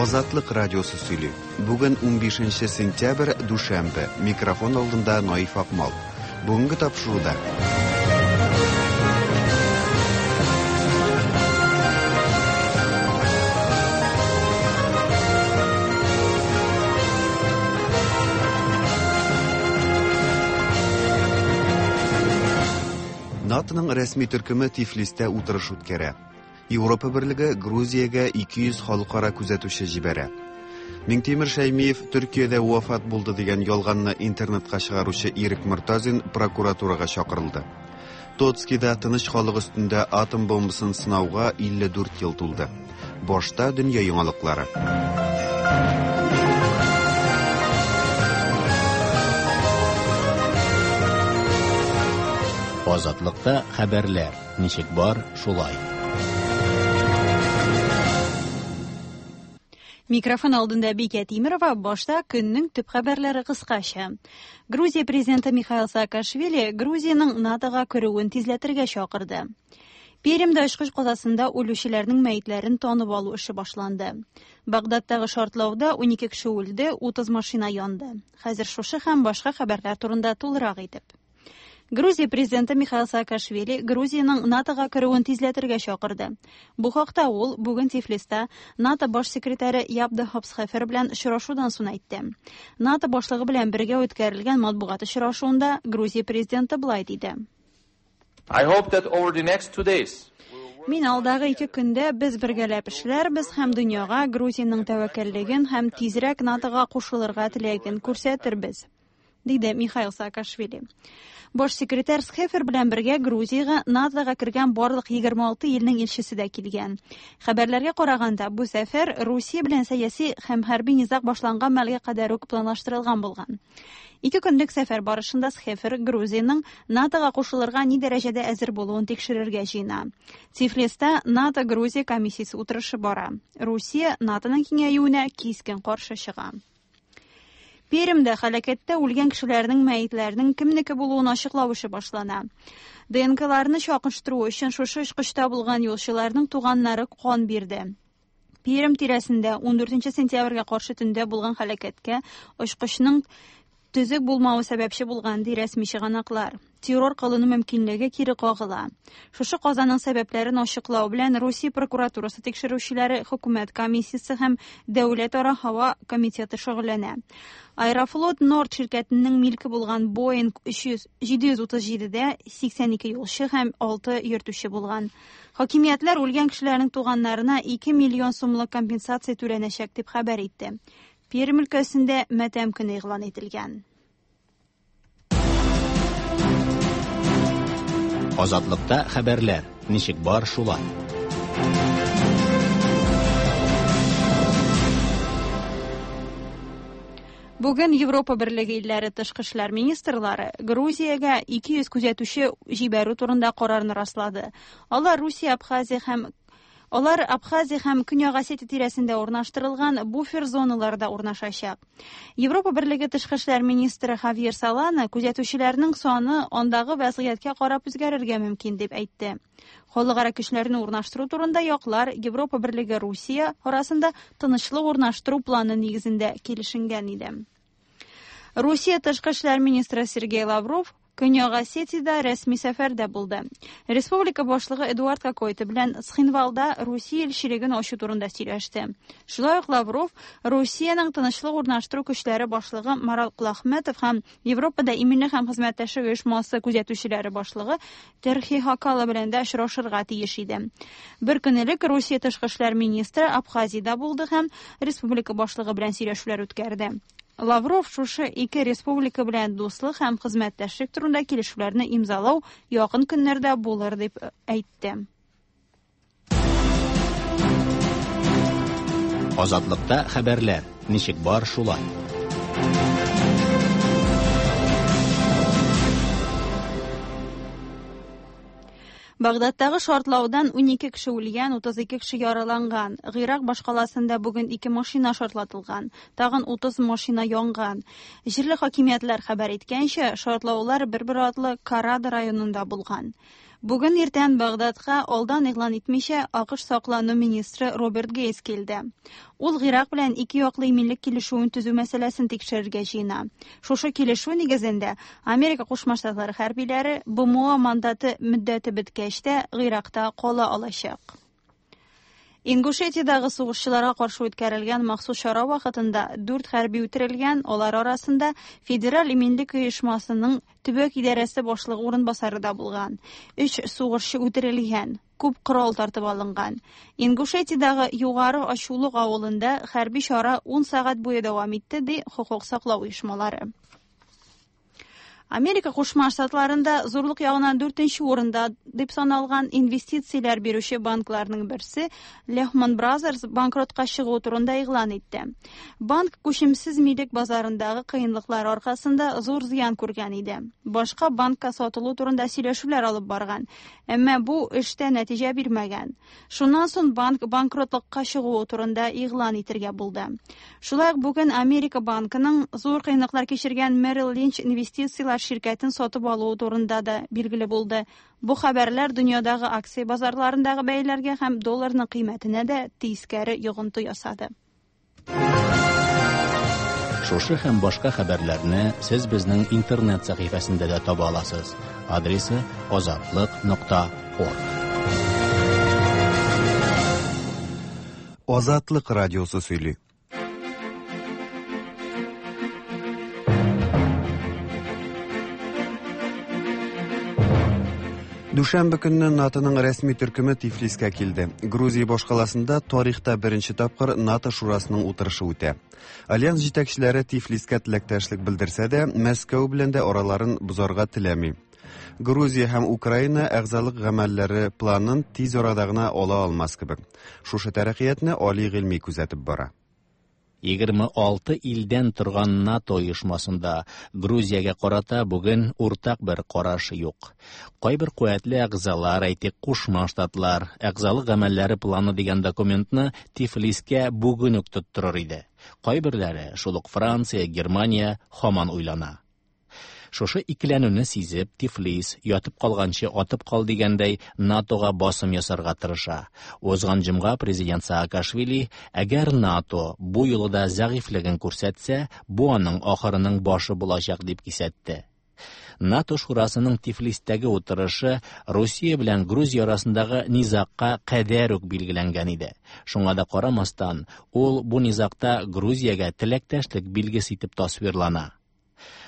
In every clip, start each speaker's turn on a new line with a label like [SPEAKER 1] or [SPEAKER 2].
[SPEAKER 1] Азатлык радиосы сөйли. Бүген 15 сентябрь, дүшәмбе. Микрофон алдында Наиф Акмал. Бүгенге тапшыруда НАТОның рәсми төркеме Тифлистә утырыш үткәрә. Европа берлеге Грузиягә 200 халыкара күзәтүче җибәрә. Миңтимер Шәймиев Төркиядә вафат булды дигән ялганны интернетка чыгаручы Ирек Мортазин прокуратурага чакырылды. Тоцкида тыныч халык өстендә атом бомбасын сынауга 54 ел тулды. Башта дөнья яңалыклары.
[SPEAKER 2] Азатлыкта хәбәрләр. Ничек бар, шулай.
[SPEAKER 3] Микрофон алдында Бикә Тимерова башта көннең төп хәбәрләре кыскача. Грузия президенты Михаил Саакашвили Грузиянең НАТОга керүен тизләтергә чакырды. Пермьдә очкыч казасында үлүчеләрнең мәетләрен танып алу эше башланды. Багдадтагы шартлауда 12 кеше үлде, 30 машина янды. Хәзер шушы һәм башка хәбәрләр турында тулырак итеп. Грузия президенты Михаил Саакашвили Грузиянең НАТОга керүен тизләтергә чакырды. Бу хакта ул бүген Тифлиста НАТО баш секретаре Ябда Хопсхефер белән очрашудан соң әйтте. НАТО башлыгы белән бергә үткәрелгән матбугат очрашуында Грузия президенты болай диде.
[SPEAKER 4] I hope that over the next 2 days
[SPEAKER 3] Мин алдагы 2 көндә без бергәләп эшләрбез һәм дөньяга Грузиянең тәвәккәллеген һәм тизрәк НАТОга кушылырга теләген күрсәтербез, диде Михаил Саакашвили. Баш секретарь Схефер белән бергә Грузиягә НАТОга кергән барлык 26 илнең илчесе дә килгән. Хәбәрләргә караганда, бу сәфәр Русия белән сәяси һәм хәрби низаг башланган мәлгә кадәр үк планлаштырылган булган. 2 көнлек сәфәр барышында Схефер Грузиянең НАТОга кушылырга ни дәрәҗәдә әзер булуын тикшерергә җыена. Тифлиста НАТО-Грузия комиссиясе утырышы бара. Русия НАТОның киңәюенә кискен каршы чыга. Пермьдә һәлакәттә үлгән кешеләрнең мәетләренең кемнеке булуын ачыклау эше башлана. ДНКларны чагыштыру өчен шушы очкычта булган юлчыларның туганнары кан бирде. Пермь тирәсендә 14 сентябрьгә каршы төндә булган һәлакәткә очкычның төзек булмавы сәбәпче булган, ди рәсми чыганаклар. Террор кылыну мөмкинлеге кире кагыла. Шушы казаның сәбәпләрен ачыклау белән Русия прокуратурасы тикшерүчеләре, хөкүмәт комиссиясе һәм Дәүләтара һава комитеты шөгыльләнә. Аэрофлот Норд ширкәтенең милке булган Boeing 737-дә 82 юлчы һәм 6 йөртүче булган. Хакимиятләр үлгән кешеләрнең туганнарына 2 миллион сумлык компенсация түләнәчәк дип хәбәр итте. Пермь өлкәсендә матәм көне игълан ителгән.
[SPEAKER 2] Азатлыкта хәбәрләр. Ничек бар, шулай.
[SPEAKER 3] Бүген Европа Берлеге илләре тышкы эшләр министрлары Грузиягә 200 күзәтүче җибәрү турында карарны раслады. Алар Русия, Абхазия һәм Алар Абхазия һәм Көньяк Осетия тирәсендә урнаштырылган буфер зоналарда урнашачак. Европа Берлеге тышкы эшләр министры Хавьер Солана күзәтүчеләрнең саны андагы вазгыятькә карап үзгәрергә мөмкин дип әйтте. Халыкара көчләрне урнаштыру турында яклар Европа Берлеге Русия арасында тынычлык урнаштыру планы нигезендә килешенгән иде. Русия тышкы эшләр министры Сергей Лавров Көньяк Осетиядә рәсми сәфәрдә булды. Республика башлыгы Эдуард Кокойты белән Цхинвалда Русия илчелеген ачу турында сөйләште. Шулай ук Лавров Русиянең тынычлык урнаштыру көчләре башлыгы Марат Кулахметов һәм Европада иминлек һәм хезмәттәшлек оешмасы күзәтүчеләре башлыгы Терхи Хакала белән дә очрашырга тиеш иде. Бер көн элек Русия тышкы эшләр министры Абхазиядә булды һәм республика башлыгы белән сөйләшүләр үткәрде. Лавров шушы ике республика белән дуслык һәм хезмәттәшлек турында килешүләрне имзалау якын көннәрдә булыр дип әйтте.
[SPEAKER 2] Азатлыкта хәбәрләр. Ничек бар, шулай.
[SPEAKER 3] Багдадтагы шартлаудан 12 кеше үлгән, 32 кеше яраланган. Гыйрак башкаласында бүген ике машина шартлатылган, тагын 30 машина янган. Җирле хакимиятләр хәбәр иткәнчә, шартлаулар бер-бер артлы Карада районында булган. Бүген иртән Багдадка алдан игълан итмичә АКШ саклану министры Роберт Гейтс килде. Ул Гыйрак белән ике яклы иминлек килешүен төзү мәсьәләсен тикшерергә җыена. Шушы килешү нигезендә Америка Кушма Штатлары хәрбиләре БМО мандаты мөддәте беткәч тә Гыйракта кала алачак. Ингушетиядәге сугышчыларга каршы үткәрелгән махсус чара вакытында дүрт хәрби үтерелгән, алар арасында Федераль иминлек оешмасының төбәк идарәсе башлыгы урынбасары да булган. Өч сугышчы үтерелгән, күп корал тартып алынган. Ингушетиядәге Югары Ачулык авылында хәрби чара 10 сәгать буе дәвам итте, ди хокук саклау оешмалары. Америка Кушма Штатларында зурлык ягыннан дүртенче урында дип саналган инвестицияләр бирүче банкларның берсе Lehman Brothers банкротка чыгу турында игълан итте. Банк күчемсез милек базарындагы кыенлыклар аркасында зур зыян күргән иде. Башка банкка сатылу турында сөйләшүләр алып барган, әмма бу эштә нәтиҗә бирмәгән. Шуннан соң банк банкротлыкка чыгуы турында игълан итергә булды. Шулай ук бүген Америка банкының зур кыенлыклар кичергән Merrill Lynch инвестицияләр ширкәтен сатып алуы турында да билгеле булды. Бу хәбәрләр дөньядагы акция базарларындагы бәяләргә һәм долларның кыйммәтенә дә тискәре йогынты ясады.
[SPEAKER 2] Шушы һәм башка хәбәрләрне сез безнең интернет сәхифәсендә дә таба аласыз. Адресы azatliq.org.
[SPEAKER 1] Азатлык радиосы сөйли. Дүшәмбе көнне НАТОның рәсми төркеме Тифлискә килде. Грузия башкаласында тарихта беренче тапкыр НАТО шурасының утырышы үтә. Альянс җитәкчеләре Тифлискә теләктәшлек белдерсә дә, Мәскәү белән дә араларын бозарга теләми. Грузия һәм Украина әгъзалык гамәлләре планын тиз арада гына ала алмас кебек. Шушы тәрәккыятны Али Гыйльми күзәтеп бара.
[SPEAKER 2] 26 илдән торган НАТО оешмасында Грузиягә карата бүген уртак бер караш юк. Кайбер куәтле әгъзалар, әйтик, Кушма Штатлар, әгъзалык гамәлләре планы дигән документны Тифлискә бүген үк тоттырыр иде. Кайберләре, шул ук Франция, Германия һаман уйлана. Шушы икеләнүне сизеп, Тифлис ятып калганчы атып кал дигәндәй НАТОга басым ясарга тырыша. Узган җомга президент Саакашвили, әгәр НАТО бу юлы да зәгыйфьлеген күрсәтсә, бу аның ахырының башы булачак дип кисәтте. НАТО шурасының Тифлистәге утырышы Русия белән Грузия арасындагы низагка кадәр үк билгеләнгән иде. Шуңа да карамастан, ул бу низагта Грузиягә теләктәшлек билгесе итеп тасвирлана.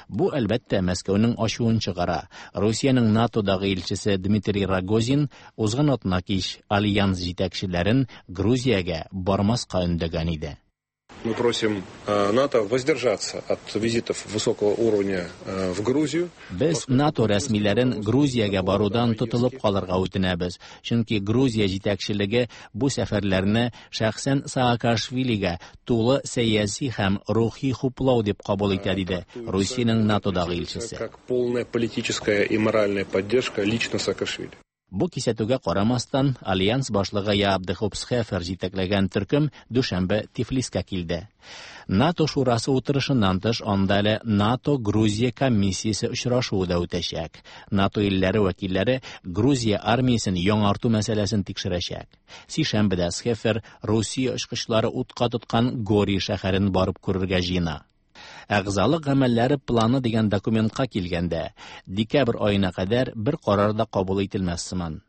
[SPEAKER 2] Бу, әлбәттә, Мәскәүнең ачуын чыгара. Русиянең НАТОдагы илчесе Дмитрий Рогозин узган атна кич альянс җитәкчеләрен Грузиягә бармаска өндәгән иде.
[SPEAKER 5] Мы просим НАТО воздержаться от визитов высокого уровня в Грузию.
[SPEAKER 2] Без НАТО рәсмиләрен Грузиягә барудан тотылып калырга үтенәбез, чөнки Грузия җитәкчелеге бу сәфәрләрне шәхсән Саакашвилигә тулы сәяси һәм рухи хуплау дип кабул итә, диде Русиянең НАТОдагы илчесе.
[SPEAKER 5] Как полная политическая и моральная поддержка лично Саакашвили.
[SPEAKER 2] Бу кисәтүгә карамастан, Альянс башлыгы Яап де Хоп Схефер җитәкләгән төркем дүшәмбе Тифлискә килде. НАТО шурасы утырышыннан тыш анда әле НАТО-Грузия комиссиясе очрашуы да үтәчәк. НАТО илләре вәкилләре Грузия армиясен яңарту мәсьәләсен тикшерәчәк. Сишәмбедә Схефер Русия очкычлары утка тоткан Гори шәһәрен барып күрергә җыена. Әгъзалык гамәлләре планы дигән документка килгәндә, декабрь аена кадәр бер карар да кабул ителмәс сыман.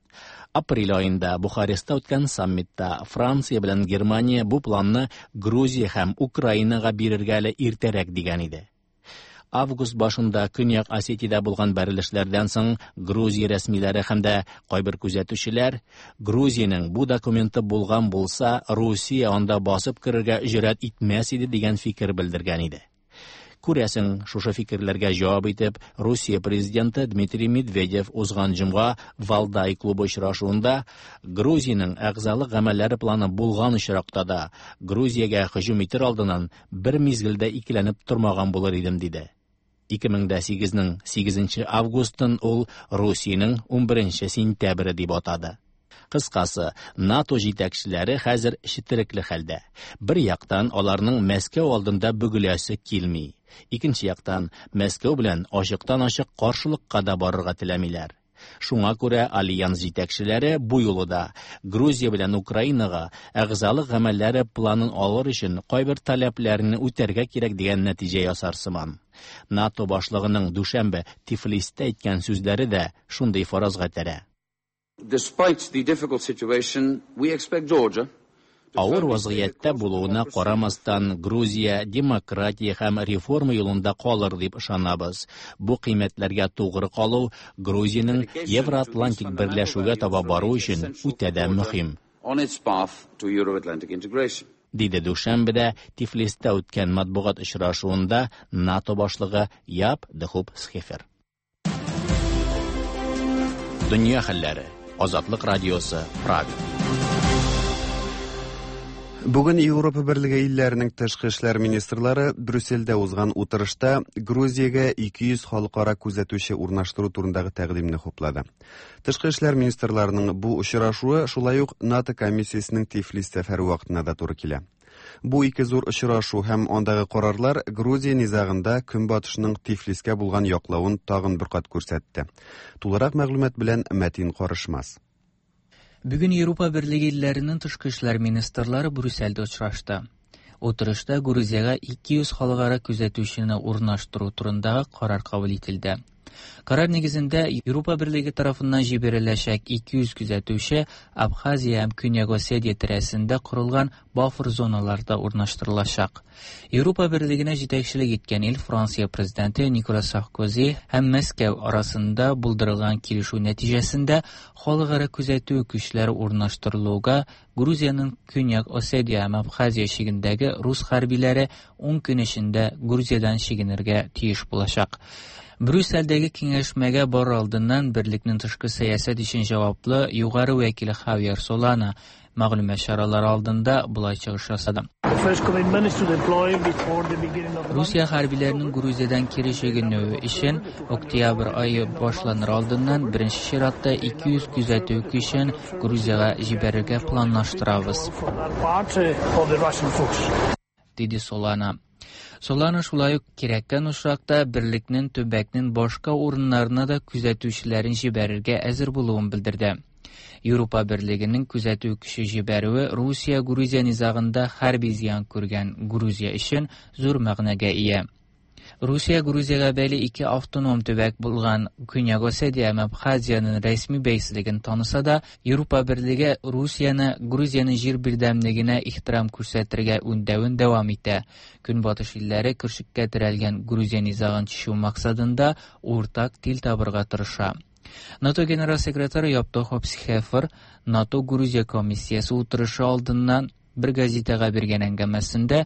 [SPEAKER 2] Апрель аенда Бухарестта үткән саммитта Франция белән Германия бу планны Грузия һәм Украинага бирергә әле иртәрәк дигән иде. Август башында Көньяк Осетиядә булган бәрелешләрдән соң Грузия рәсмиләре һәм дә кайбер күзәтүчеләр Грузиянең бу документы булган булса, Русия анда басып керергә җөрьәт итмәс иде дигән фикер белдергән иде. Күрәсең, шушы фикерләргә җавап итеп, Русия президенты Дмитрий Медведев узган җомга Валдай клубы очрашуында Грузиянең әгъзалык гамәлләре планы булган очракта да Грузиягә һөҗүм итер алдыннан бер мизгелдә икеләнеп тормаган булыр идем, диде. Ике мең дә сигезнең сигезенче августын ул Русиянең унберенче сентябре дип атады. Кыскасы, НАТО җитәкчеләре хәзер четерекле хәлдә. Бер яктан аларның Мәскәү алдында бөгеләсе килми. Икенче яктан Мәскәү белән ачыктан-ачык каршылыкка да барырга теләмиләр. Шуңа күрә альянс җитәкчеләре бу юлы да Грузия белән Украинага әгъзалык гамәлләре планын алыр өчен кайбер таләпләрне үтәргә кирәк дигән нәтиҗә ясар сыман. НАТО башлыгының дүшәмбе Тифлистә әйткән сүзләре дә шундый фаразга этәрә.
[SPEAKER 4] Despite the difficult situation, we expect Georgia
[SPEAKER 2] Авыр вазгыятьтә булуына карамастан, Грузия демократия һәм реформа юлында калыр дип ышанабыз. Бу кыйммәтләргә тугры калу Грузиянең Евроатлантик берләшүгә таба бару өчен үтә дә мөһим.
[SPEAKER 4] On its path to Euro-Atlantic integration.
[SPEAKER 2] Диде дүшәмбедә Тифлистә үткән матбугат очрашуында НАТО башлыгы Яп де Хуп Схефер. Дөнья хәлләре. Азатлык радиосы, Прага.
[SPEAKER 1] Бүген Европа Берлеге илләренең тышкы эшләр министрлары Брюссельдә узган утырышта Грузиягә 200 халыкара күзәтүче урнаштыру турындагы тәкъдимне хуплады. Тышкы эшләр министрларының бу очрашуы шулай ук НАТО комиссиясенең Тифлис сәфәре вакытына да туры килә. Бу ике зур очрашу һәм андагы карарлар Грузия низагында Көнбатышның Тифлискә булган яклавын тагын бер кат күрсәтте. Тулырак мәгълүмат белән Мәтин Карышмас.
[SPEAKER 6] Бүген Европа Берлеге илләренең тышкы эшләр министрлары Брюссельдә очрашты. Утырышта Грузиягә 200 халыкара күзәтүчене урнаштыру турындагы карар кабул ителде. Карар нигезендә Европа Берлеге тарафыннан җибәреләчәк 200 күзәтүче Абхазия һәм Көньяк Осетия тирәсендә корылган буфер зоналарда урнаштырылачак. Европа Берлегенә җитәкчелек иткән ил Франция президенты Николас Саркози һәм Мәскәү арасында булдырылган килешү нәтиҗәсендә халыкара күзәтү көчләре урнаштырылуга Грузиянең Көньяк Осетия һәм Абхазия чигендәге рус хәрбиләре 10 көн эчендә Грузиядән чигенергә тиеш булачак. Брюссельдәге киңәшмәгә барыр алдыннан берлекнең тышкы сәясәт өчен җаваплы югары вәкиле Хавьер Солана мәгълүмат чаралары алдында болай чыгыш ясады. Русия хәрбиләренең Грузиядән кире чигенүе өчен октябрь ае башланыр алдыннан беренче чиратта 200 күзәтү көчен Грузиягә җибәрергә планлаштырабыз, диде Солана. Солана шулай ук кирәккән очракта берлекнең төбәкнең башка урыннарына да күзәтүчеләрен җибәрергә әзер булуын белдерде. Европа Берлегенең күзәтү көче җибәрүе Русия-Грузия низагында хәрби зыян күргән Грузия өчен зур мәгънәгә ия. Русия Грузиягә бәйле ике автоном төбәк булган Көньяк Осетия һәм Абхазиянең рәсми бәйсезлеген таныса да, Европа Берлеге Русияне Грузиянең җир бердәмлегенә ихтирам күрсәтергә үндәвен дәвам итә. Көнбатыш илләре көршеккә терәлгән Грузия низагын чишү максатында уртак тел табырга тырыша. НАТО генераль секретаре Яп де Хоп Схефер НАТО Грузия комиссиясе утырышы алдыннан бер газетага биргән әңгәмәсендә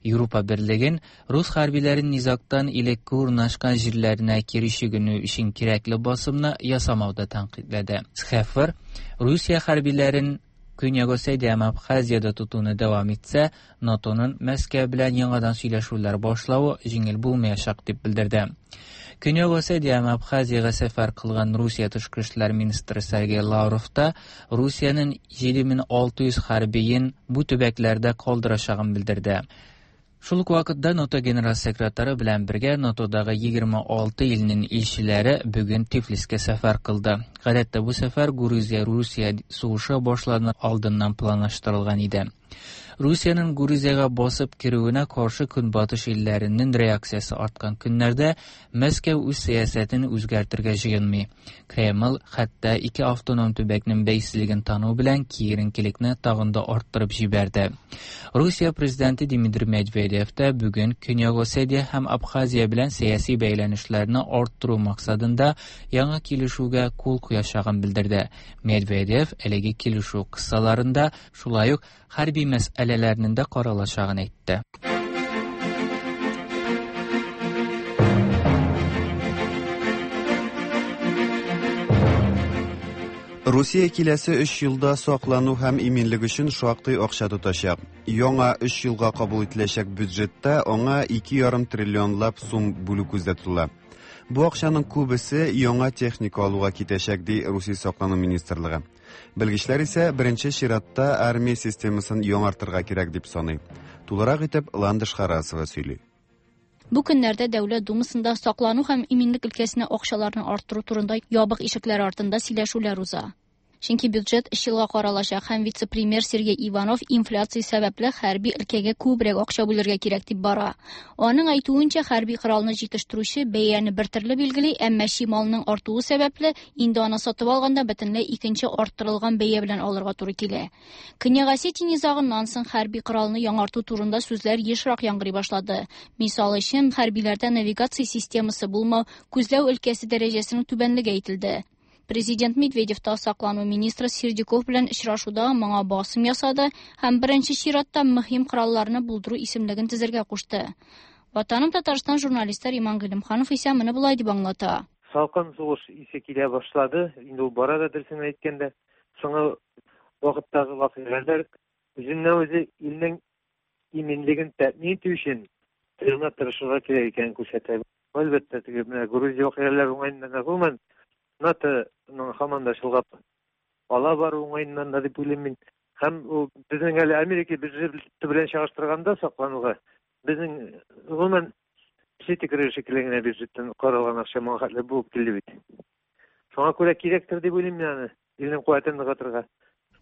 [SPEAKER 6] Европа Берлеген рус хәрбиләрен низагтан элекке урнашкан җирләренә кире чигенү өчен кирәкле басымны ясамауда тәнкыйтьләде. Схефер Русия хәрбиләрен Көньяк Осетия һәм Абхазиядә тотуны дәвам итсә, НАТОның Мәскәү белән яңадан сөйләшүләр башлавы җиңел булмаячак дип белдерде. Көньяк Осетия һәм Абхазиягә сәфәр кылган Русия тышкы эшләр министры Сергей Лавров та Русиянең 7600 хәрбиен бу төбәкләрдә калдырачагын белдерде. Шул ук вакытта НАТО генераль секретаре белән бергә НАТОдагы 26 илнең илчеләре бүген Тифлискә сәфәр кылды. Гадәттә бу сәфәр Грузия-Русия сугышы башланыр алдыннан планлаштырылган иде. Русиянең Грузиягә басып керүенә каршы Көнбатыш илләренең реакциясе арткан көннәрдә Мәскәү үз сәясәтен үзгәртергә җыенмый. Кремль хәтта ике автоном төбәкнең бәйсезлеген тану белән киеренкелекне тагын да арттырып җибәрде. Русия президенты Дмитрий Медведев та бүген Көньяк Осетия һәм Абхазия белән сәяси бәйләнешләрне арттыру максатында яңа килешүгә кул куячагын белдерде. Медведев әлеге килешү кысаларында шулай ук хәрби мәсьәләләрнең дә каралачагын әйтте.
[SPEAKER 1] Русия киләсе 3 елда саклану һәм иминлек өчен шактый акча тотачак. Яңа 3 елга кабул ителәчәк бюджетта аңа 2,5 триллионлап сум бүлү күздә тотыла. Бу акчаның күбесе яңа техника алуга китәчәк, ди Русия саклану министрлыгы. Белгечләр исә беренче чиратта армия системасын яңартырга кирәк дип саный. Тулырак итеп Ландыш Харасова сөйли.
[SPEAKER 7] Бу көннәрдә Дәүләт Думасында саклану һәм иминлек өлкәсенә акчаларны арттыру турында ябык ишекләр артында сөйләшүләр уза. Чөнки бюджет өч елга каралачак һәм вице-премьер Сергей Иванов инфляция сәбәпле хәрби өлкәгә күбрәк акча бүлергә кирәк дип бара. Аның әйтүенчә, хәрби коралны җитештерүче бәяне бер төрле билгели, әмма чималның артуы сәбәпле, инде аны сатып алганда бөтенләй икенче арттырылган бәя белән алырга туры килә. Көньяк Осетия низагыннан соң хәрби коралны яңарту турында сүзләр ешрак яңгырый башлады. Мисал өчен, хәрбиләрдә навигация системасы булмау, күзләү өлкәсе дәрәҗәсенең түбәнлеге әйтелде. Президент Медведев та саклану министры Сердюков белән очрашуда моңа басым ясады һәм беренче чиратта мөһим коралларны булдыру исемлеген төзергә кушты. Ватаным Татарстан журналисты Риман Гыйлемханов исә моны болай дип аңлата.
[SPEAKER 8] Салкын сугыш исе килә башлады. Инде ул бара да дөресен әйткәндә, соңгы вакыттагы вакыйгалар үзеннән-үзе илнең иминлеген тәэмин итү өчен тырышырга тырышырга кирәк икәнен күрсәтә. Әлбәттә, теге менә Грузия вакыйгалары уңаеннан гомумән НАТО-ның һаман да чолгап ала бару уңаеннан да дип уйлыйм мин. Һәм ул безнең әле Америка бюджеты белән чагыштырганда саклануга безнең гомумән песи төкереге шикелле генә бюджеттан каралган акча моңа хәтле булып килде бит. Шуңа күрә кирәктер дип уйлыйм мин аны, илнең куәтен ныгытырга.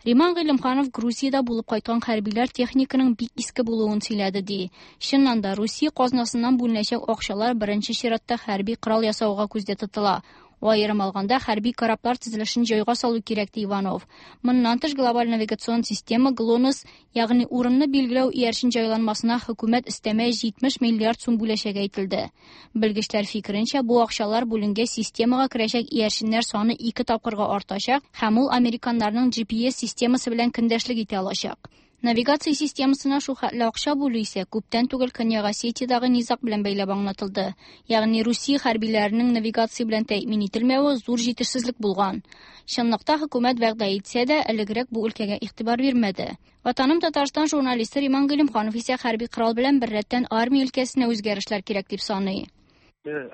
[SPEAKER 7] Риман Гыйлемханов Грузиядә булып кайткан хәрбиләр техниканың бик иске булуын сөйләде ди. Чыннан да, Русия казнасыннан бүленәчәк акчалар беренче чиратта хәрби корал ясауга күздә тотыла. Аерым алганда, хәрби кораблар төзелешен җайга салу кирәк, ди Иванов. Моннан тыш, глобаль навигацион система ГЛОНАСС, ягъни урынны билгеләү иярчен җайланмасына хөкүмәт өстәмә 70 миллиард сум бүләчәге әйтелде. Белгечләр фикеренчә, бу акчалар бүленгәч системага керәчәк иярченнәр саны ике тапкырга артачак һәм ул американнарның GPS системасы белән көндәшлек итә алачак. Навигация системасына шул хәтле акча бүлү исә күптән түгел Көньяк Осетиядагы низаг белән бәйләп аңлатылды. Ягъни Русия хәрбиләренең навигация белән тәэмин ителмәве зур җитешсезлек булган. Чынлыкта хөкүмәт вәгъдә итсә дә, элегрәк бу өлкәгә игътибар бирмәде. Ватаным Татарстан журналисты Риман Гыйлемханов исә хәрби корал белән беррәттән армия өлкәсенә үзгәрешләр кирәк дип саный.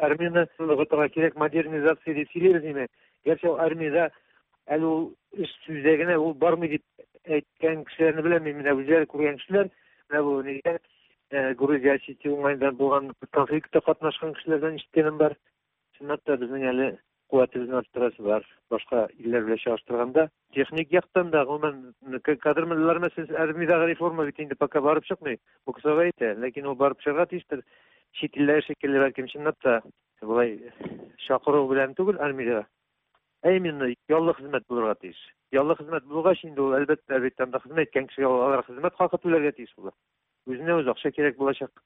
[SPEAKER 8] Армияне ныгытырга кирәк, модернизация дип сөйлибез инде. Гәрчә армиядә әле ул эш сүздә генә ул бармый дип әйткән кешеләрне беләм мин, менә үзләре күргән кешеләр, менә бу нигә Грузия Осетия уңаенда булган конфликтта катнашкан кешеләрдән ишеткәнем бар. Чынлап та безнең әле куәтебезне арттырасы бар. Башка илләр белән чагыштырганда техник яктан да, гомумән, кадрлар мәсьәләсе, армиядәге реформа бит инде пока барып чыкмый. Бу кысага әйтә, ләкин ул барып чыгарга тиештер. Чит илләр шикелле бәлкем чынлап та болай чакыру белән түгел армиягә, ә именно яллы хезмәт булырга тиеш. Яллы хезмәт булгач инде ул әлбәттә бит анда хезмәт иткән кешегә алар хезмәт хакы түләргә тиеш була. Үзенә үзе акча кирәк булачак.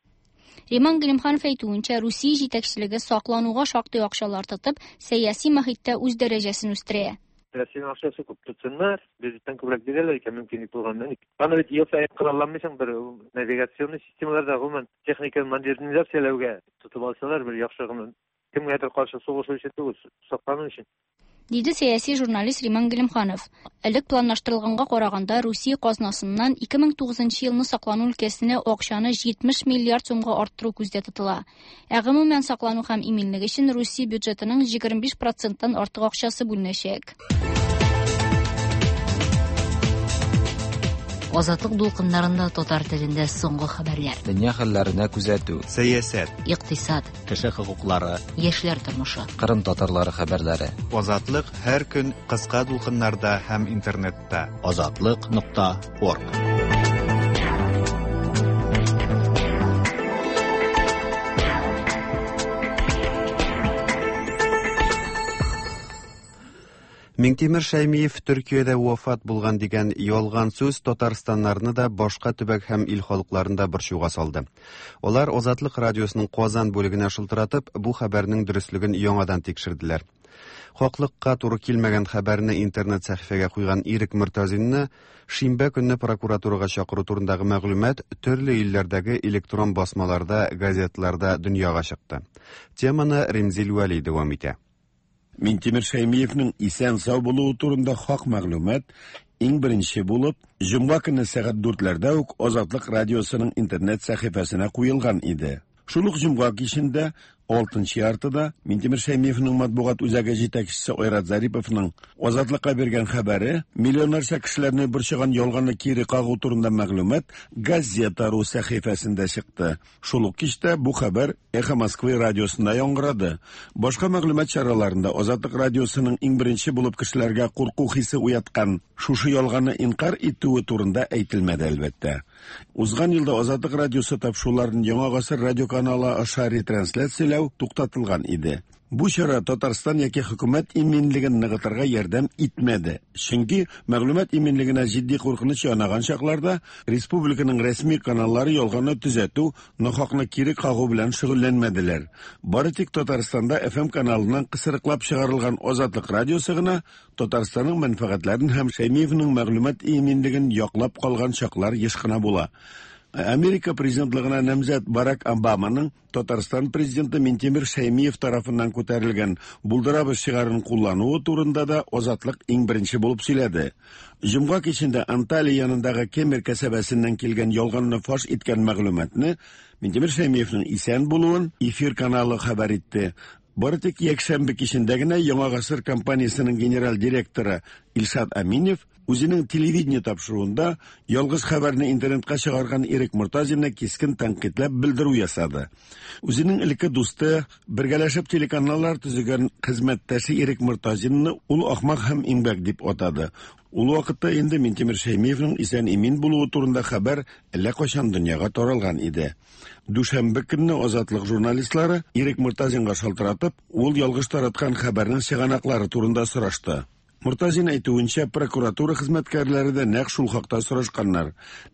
[SPEAKER 7] Риман Гыйлемханов әйтүенчә, Русия җитәкчелеге саклануга шактый акчалар тотып, сәяси мохиттә үз дәрәҗәсен үстерә.
[SPEAKER 8] Россиянең акчасы күп тотсыннар, бюджеттан күбрәк бирәләр икән, мөмкинлек булганнан. Аны бит ел саен коралланмыйсың, бер навигационный системаларда гомумән техниканы модернизацияләүгә тотып алсалар, бер яхшы гына кемгәдер каршы сугышу өчен түгел, саклану өчен.
[SPEAKER 7] Диде сәяси журналист Риман Гыйлемханов. Элек планлаштырылганга караганда, Русия казнасыннан 2009 елны саклану өлкәсенә акчаны 70 миллиард сумга арттыру күздә тотыла. Ә гомумән саклану һәм иминлек өчен Русия бюджетының 25%-тан артык акчасы бүленәчәк.
[SPEAKER 9] Азатлык дулкыннарында татар телендә соңгы хәбәрләр.
[SPEAKER 10] Дөнья хәлләренә күзәтү.
[SPEAKER 1] Сәясәт.
[SPEAKER 9] Икътисад.
[SPEAKER 2] Кеше хокуклары.
[SPEAKER 9] Яшьләр тормышы.
[SPEAKER 10] Кырым татарлары хәбәрләре.
[SPEAKER 1] Азатлык һәр көн кыска дулкыннарда һәм интернетта.
[SPEAKER 2] Азатлык.орг.
[SPEAKER 1] Миңтимер Шәймиев Төркиядә вафат булган дигән ялган сүз татарстаннарны да, башка төбәк һәм ил халыкларын да борчуга салды. Алар Азатлык радиосының Казан бүлегенә шылтыратып, бу хәбәрнең дөреслеген яңадан тикшерделәр. Хаклыкка туры килмәгән хәбәрне интернет сәхифәгә куйган Ирек Мортазинны шимбә көнне прокуратурага чакыру турындагы мәгълүмат төрле илләрдәге электрон басмаларда, газетларда дөньяга чыкты. Теманы Римзил Вәли дәвам итә.
[SPEAKER 11] Минтимер Шәймиевнең исән сау булуы турында хак мәгълүмат иң беренче булып җомга көнне сәгать 4-ләрдә үк Азатлык радиосының интернет сәхифәсенә куелган иде. Шул ук җомга кичендә Алтынчы яртыда Минтимер Шәймиевның матбугат үзәге җитәкчесе Айрат Зариповның Азатлыкка биргән хәбәре, миллионнарча кешеләрне борчыган ялганны кире кагу турында мәгълүмат Газета.ру сәхифәсендә чыкты. Шул ук кичтә бу хәбәр Эхо Москвы радиосында яңгырады. Башка мәгълүмат чараларында Азатлык радиосының иң беренче булып кешеләргә курку хисе уяткан шушы ялганны инкар итүе турында әйтелмәде, әлбәттә. Узган елда Азатлык радиосы тапшыруларын Яңа гасыр радиоканалы аша ретрансляцияләү туктатылган иде. Бу чара Татарстан яки хөкүмәт иминлеген ныгытырга ярдәм итмәде. Чөнки мәгълүмат иминлегенә җитди куркыныч янаган чакларда республиканың рәсми каналлары ялганны төзәтү, нахакны кире кагу белән шөгыльләнмәделәр. Бары тик Татарстанда FM каналыннан кысрыклап чыгарылган Азатлык радиосы гына Татарстанның мәнфәгатьләрен һәм Шәймиевның мәгълүмат иминлеген яклап калган чаклар еш кына була. Америка президентлыгына намзәт Барак Обаманың Татарстан президенты Минтимер Шәймиев тарафыннан күтәрелгән «Булдырабыз» шигарын куллануы турында да Азатлык иң беренче булып сөйләде. Җомга кичендә Анталия янындагы Кемер кәсәбәсеннән килгән ялганны фаш иткән мәгълүматны Минтимер Шәймиевның исән булуын Эфир каналы хәбәр итте. Бары тик якшәмбе кичендә генә Яңа гасыр компаниясенең генераль директоры Илшат Аминев үзенең телевидение тапшыруында ялгыш хәбәрне интернетка чыгарган Ирек Мортазинны кискен тәнкыйтьләп белдерү ясады. Үзенең элекке дусты, бергәләшеп телеканаллар төзегән хезмәттәше Ирек Мортазинны ул ахмак һәм имгәк дип атады. Ул вакытта инде Минтимер Шәймиевның исән-имин булуы турында хәбәр әллә кайчан дөньяга таралган иде. Дүшәмбе көнне Азатлык журналистлары Ирек Мортазинга шалтыратып, ул ялгыш тараткан хәбәрнең чыганаклары турында сорашты. Мортазин әйтүенчә, прокуратура хезмәткәрләре дә нәкъ шул хакта сорашканнар.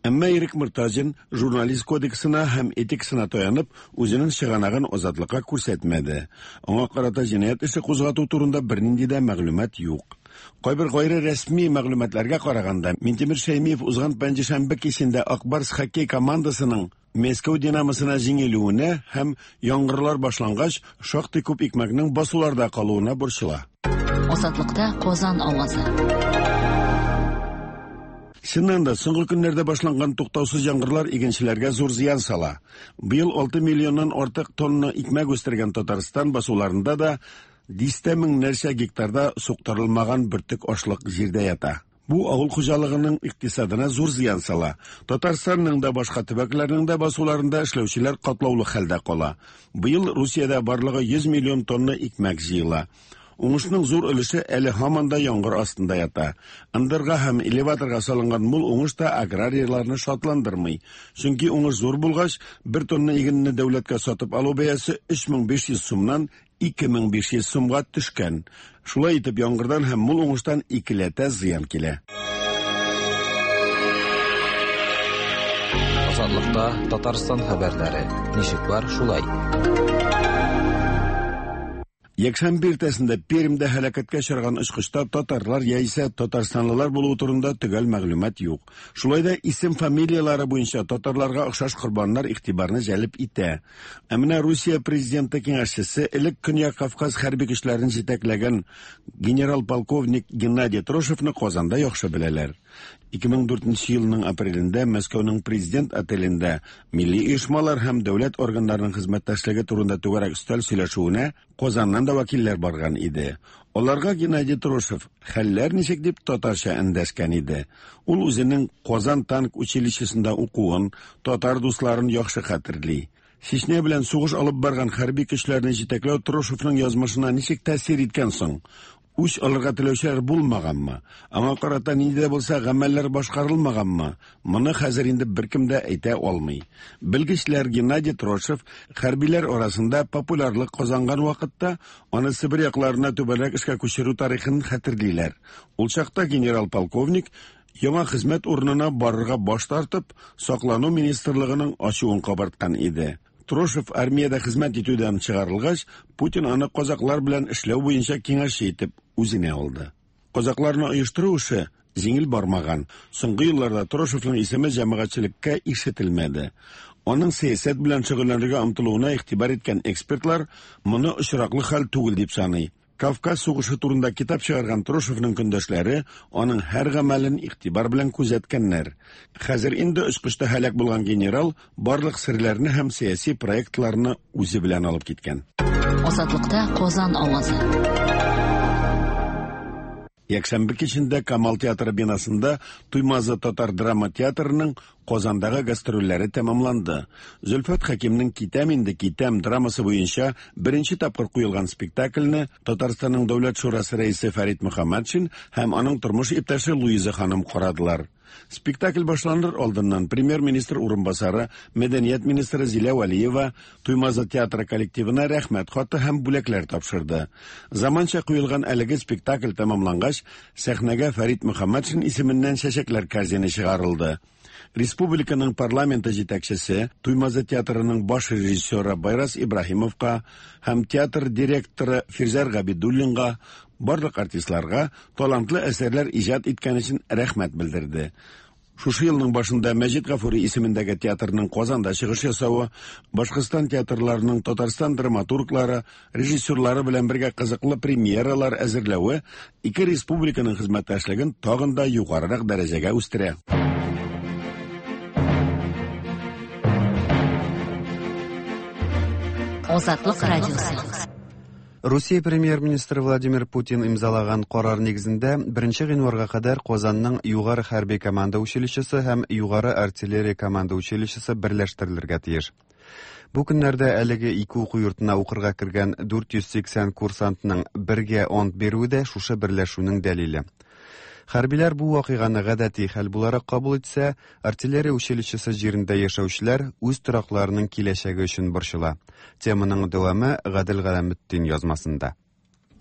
[SPEAKER 11] Әмма Ирек Мортазин журналист кодексына һәм этикасына таянып, үзенең чыганагын Азатлыкка күрсәтмәде. Аңа карата җинаять эше кузгату турында бернинди дә мәгълүмат юк. Кайбер гайре рәсми мәгълүматларга караганда, Минтимер Шәймиев узган пәнҗешәмбе кичендә Ак Барс хоккей командасының Мәскәү Динамосына җиңелүенә һәм яңгырлар башлангач, шактый күп икмәкнең басуларда калуына борчыла.
[SPEAKER 9] Азатлыкта Казан авазы.
[SPEAKER 11] Чыннан да, соңгы көннәрдә башланган туктаусыз яңгырлар игенчеләргә зур зыян сала. Быел 6 миллионнан артык тонна икмәк үстергән Татарстан басуларында да дистә меңнәрчә гектарда суктырылмаган бөртек ашлык җирдә ята. Бу авыл хуҗалыгының икътисадына зур зыян сала. Татарстанның да башка төбәкләрнең дә басуларында эшләүчеләр катлаулы хәлдә кала. Быел Русиядә барлыгы 100 миллион тонна икмәк җыела. Уңышның зур өлеше әле һаман да яңгыр астында ята. Ындырга һәм элеваторга салынган мул уңыш та аграрийларны шатландырмый. Чөнки уңыш зур булгач, бер тонна игенне дәүләткә сатып алу бәясе 3500 сумнан 2500 сумга төшкән. Шулай итеп, яңгырдан һәм мул уңыштан икеләтә зыян килә.
[SPEAKER 10] Азатлыкта Татарстан хәбәрләре. Ничек бар, шулай.
[SPEAKER 11] Якшәмбе иртәсендә Пермьдә һәлакәткә очраган очкычта татарлар яисә татарстанлылар булуы турында төгәл мәгълүмат юк. Шулай да исем-фамилияләре буенча татарларга охшаш корбаннар игътибарны җәлеп итә. Ә менә Русия президенты киңәшчесе, элек Көньяк Кавказ хәрби көчләрен җитәкләгән генерал-полковник Геннадий Трошевны Казанда яхшы беләләр. 2004 елның апрелендә Мәскәүнең президент отелендә милли оешмалар һәм дәүләт органнарының хезмәттәшлеге турында түгәрәк өстәл сөйләшүенә Казаннан да вәкилләр барган иде. Аларга Геннадий Трошев хәлләр ничек дип татарча эндәшкән иде. Ул үзенең Казан танк училищесында укуын, татар дусларын яхшы хәтерли. Чечня белән сугыш алып барган хәрби көчләрне җитәкләү Трошевның язмышына ничек тәэсир иткән соң? Үч алырга теләүчеләр булмаганмы? Аңа карата нинди дә булса гамәлләр башкарылмаганмы? Моны хәзер инде беркем дә әйтә алмый. Белгечләр Геннадий Трошев хәрбиләр арасында популярлык казанган вакытта аны Себер якларына түбәнрәк эшкә күчерү тарихын хәтерлиләр. Ул чакта генерал-полковник яңа хезмәт урынына барырга баш тартып, Саклану министрлыгының ачуын кабарткан иде. Трошев армиядә хезмәт итүдән чыгарылгач, Путин аны казаклар белән эшләү буенча киңәшче итеп үзенә алды. Казакларны оештыру эше җиңел бармаган. Соңгы елларда Трошевның исеме җәмәгатьчелеккә ишетелмәде. Аның сәясәт белән шөгыльләнергә омтылуына игътибар иткән экспертлар моны очраклы хәл түгел дип саный. Кавказ сугышы турында китап чыгарган Трошевның көндәшләре аның һәр гамәлен игътибар белән күзәткәннәр. Хәзер инде очкычта һәлак булган генерал барлык серләрне һәм сәяси проектларны үзе белән алып киткән.
[SPEAKER 9] Азатлыкта Казан авазы.
[SPEAKER 11] Якшәмбе кичендә Камал театры бинасында Туймазы татар драма театрының Казандагы гастрольләре тәмамланды. Зөлфәт Хәкимнең Китәм инде китәм драмасы буенча беренче тапкыр куелган спектакльне Татарстанның Дәүләт шурасы рәисе Фәрит Мөхәммәтшин һәм аның тормыш иптәше Луиза ханым карадылар. Спектакль башланыр алдыннан премьер-министр урынбасары, мәдәният министры Зилә Вәлиева Туймазы театры коллективына рәхмәт хаты һәм бүләкләр тапшырды. Заманча куелган әлеге спектакль тәмамлангач, сәхнәгә Фәрит Мөхәммәтшин исеменнән чәчәкләр корзины чыгарылды. Республиканың парламенты җитәкчесе, Туймазы театрының баш режиссеры Байрас Ибраһимовка һәм театр директоры Фирзәр Габидуллинга, барлык артистларга талантлы әсәрләр иҗат иткән өчен рәхмәт белдерде. Шушы елның башында Мәҗит Гафури исемендәге театрның Казанда чыгыш ясавы, Башкортстан театрларының Татарстан драматурглары, режиссерлары белән бергә кызыклы премьералар әзерләве ике республиканың хезмәттәшлеген тагын да югарырак дәрәҗәгә үстерә.
[SPEAKER 9] Азатлык радиосы.
[SPEAKER 1] Русия премьер-министры Владимир Путин имзалаган карар нигезендә 1 гыйнварга кадәр Казанның югары хәрби команда училищесы һәм югары артиллерия команда училищесы берләштерелергә тиеш. Бу көннәрдә әлеге ике уку йортына укырга кергән 480 курсантның бергә ант бирүе дә шушы берләшүнең дәлиле. Хәрбиләр бу вакыйганы гадәти хәл буларак кабул итсә, артиллерия училищесы җирендә яшәүчеләр үз торакларының киләчәге өчен борчыла. Теманың дәвамы Гадел Галәметдин язмасында.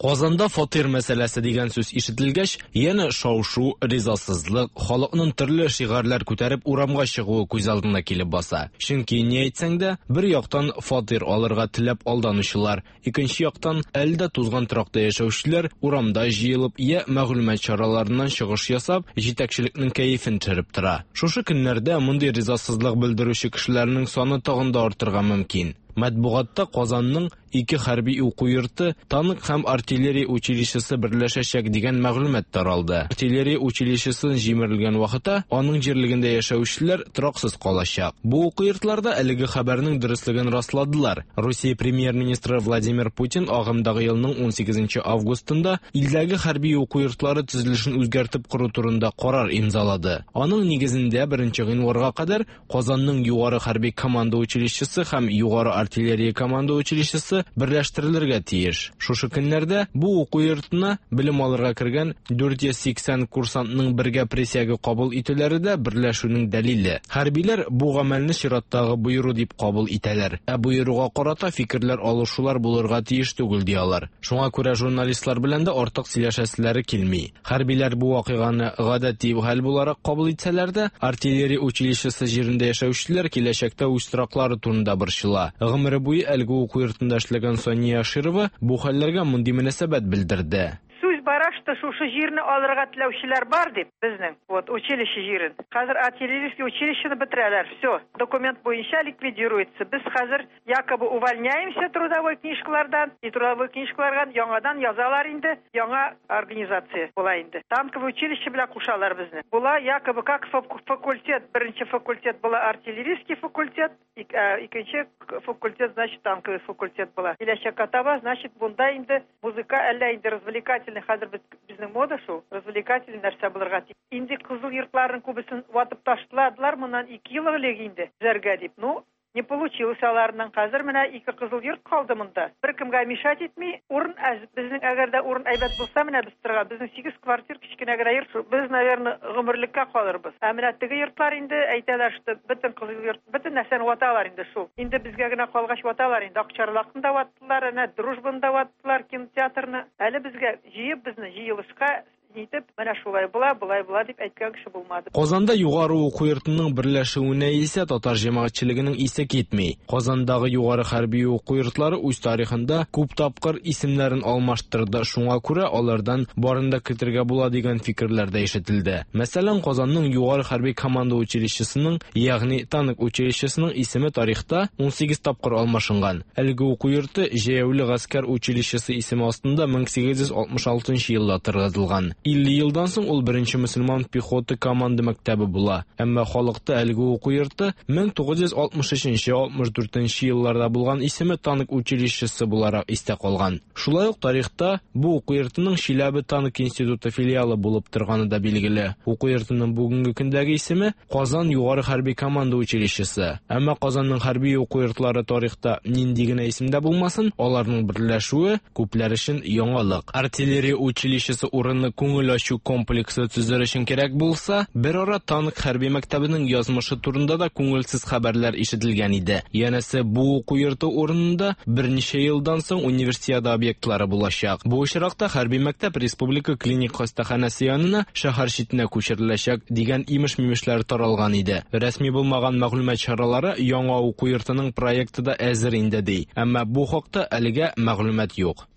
[SPEAKER 12] Казанда фатир мәсьәләсе дигән сүз ишетелгәч, янә шау-шу, ризасызлык, халыкның төрле шигарьләр күтәреп урамга чыгуы күз алдына килеп баса. Чөнки ни әйтсәң дә, бер яктан фатир алырга теләп алданучылар, икенче яктан әле дә тузган торакта яшәүчеләр урамда җыелып я мәгълүмат чараларыннан чыгыш ясап, җитәкчелекнең кәефен төшереп тора. Шушы көннәрдә мондый ризасызлык белдерүче кешеләрнең саны тагын да артырга мөмкин. Матбугатта Казанның ике хәрби уку йорты, танк һәм артиллерия училищесы берләшәчәк дигән мәгълүмат таралды. Артиллерия училищесы җимерелгән вакытта аның җирлегендә яшәүчеләр тораксыз калачак. Бу уку йортларда әлеге хәбәрнең дөреслеген расладылар. Русия премьер-министры Владимир Путин агымдагы елның 18 августында илдәге хәрби уку йортлары төзелешен үзгәртеп кору турында карар имзалады. Аның нигезендә 1 гыйнварга кадәр Казанның югары хәрби команда училищесы һәм югары артиллерия команда училищесы берләштерелергә тиеш. Шушы көннәрдә бу уку йортына белем алырга кергән 480 курсантның бергә присяга кабул итүләре дә берләшүнең дәлиле. Хәрбиләр бу гамәлне чираттагы боеру дип кабул итәләр. Ә боеруга карата фикерләр алышулар булырга тиеш түгел ди алар. Шуңа күрә журналистлар белән дә артык сөйләшәселәре килми. Хәрбиләр бу вакыйганы гадәти хәл буларак кабул итсәләр дә, артиллерия училищесы җирендә яшәүчеләр киләчәктә үз тораклары турында борчыла. Гомере буе әлеге уку йортында эшләгән Сания Аширова бу хәлләргә мондый мөнәсәбәт белдерде.
[SPEAKER 13] Сүз бара, что шушы җирне алырга теләүчеләр бар дип, безнең, вот, училище җирен. Хәзер артиллерийский училищены бетерәләр, все, документ буенча ликвидируется. Без хәзер якобы увольняемся трудовой книжкалардан, и трудовой книжкалардан яңадан язалар инде, яңа организация була инде. Танковый училище белән кушалар безне. Була якобы как факультет, беренче факультет була артиллерийский факультет, икенче факультет, значит, танковый факультет була. Киләчәккә таба, значит, бунда инде музыка әллә инде развлекательный, хәзер безнең мода шул, развлекательный нәрсә булырга тиеш. Инде кызыл йортларның күбесен ватып ташладылар моннан 2 ел элек инде, төзәргә дип. Ну, не получилось аларның. Хәзер менә 2 кызыл йорт калды монда. Бер кемгә мешать итми. Урын әз, безнең әгәр дә урын әйбәт булса, менә без торган, безнең 8 квартир кечкенә генә йорт. Без, наверное, гомерлеккә калырбыз. Ә менә теге йортлар инде әйтәләр, что бөтен кызыл йорт, бөтен нәрсәне ваталар инде шул. Инде безгә генә калгач ваталар инде. Акчарлакны да ваттылар, әнә Дружбаны да ваттылар, кинотеатрны. Әле безгә җыеп безне җыелышка Нитеп, менә шулай була, болай була дип әйткән кеше булмады.
[SPEAKER 12] Казанда югары уку йортының берләшүенә исә татар җәмәгатьчелегенең исе китми. Казандагы югары хәрби уку йортлары үз тарихында күп тапкыр исемнәрен алмаштырды, шуңа күрә алардан барын да көтергә була дигән фикерләр дә ишетелде. Мәсәлән, Казанның югары хәрби команда училищесының, ягъни танк училищесының исеме тарихта 18 тапкыр алмашынган. Әлеге уку йорты җәяүле гаскәр училищесы исеме астында 1866 елда торгызылган. 50 елдан соң ул беренче мөселман пехота команда мәктәбе була. Әмма халыкта әлеге уку йорты 1963-64 елларда булган исеме танк училищесы буларак истә калган. Шулай ук тарихта бу уку йортының Чиләбе танк институты филиалы булып торганы да билгеле. Уку йортының бүгенге көндәге исеме Казан югары хәрби команда училищесы. Әмма Казанның хәрби уку йортлары тарихта нинди генә исемдә булмасын, аларның берләшүе күпләр өчен яңалык. Артиллерия училищесы урыны күңел ачу комплексы төзер өчен кирәк булса, бер ара танк хәрби мәктәбенең язмышы турында да күңелсез хәбәрләр ишетелгән иде. Янәсе, бу уку йорты урынында берничә елдан соң универсиада объектлары булачак. Бу очракта хәрби мәктәп республика клиник хастаханәсе янына шәһәр читенә күчереләчәк дигән имеш-мимешләр таралган иде. Рәсми булмаган мәгълүмат чаралары яңа уку йортының проекты да әзер инде ди. Әмма бу хакта әлегә мәгълүмат юк.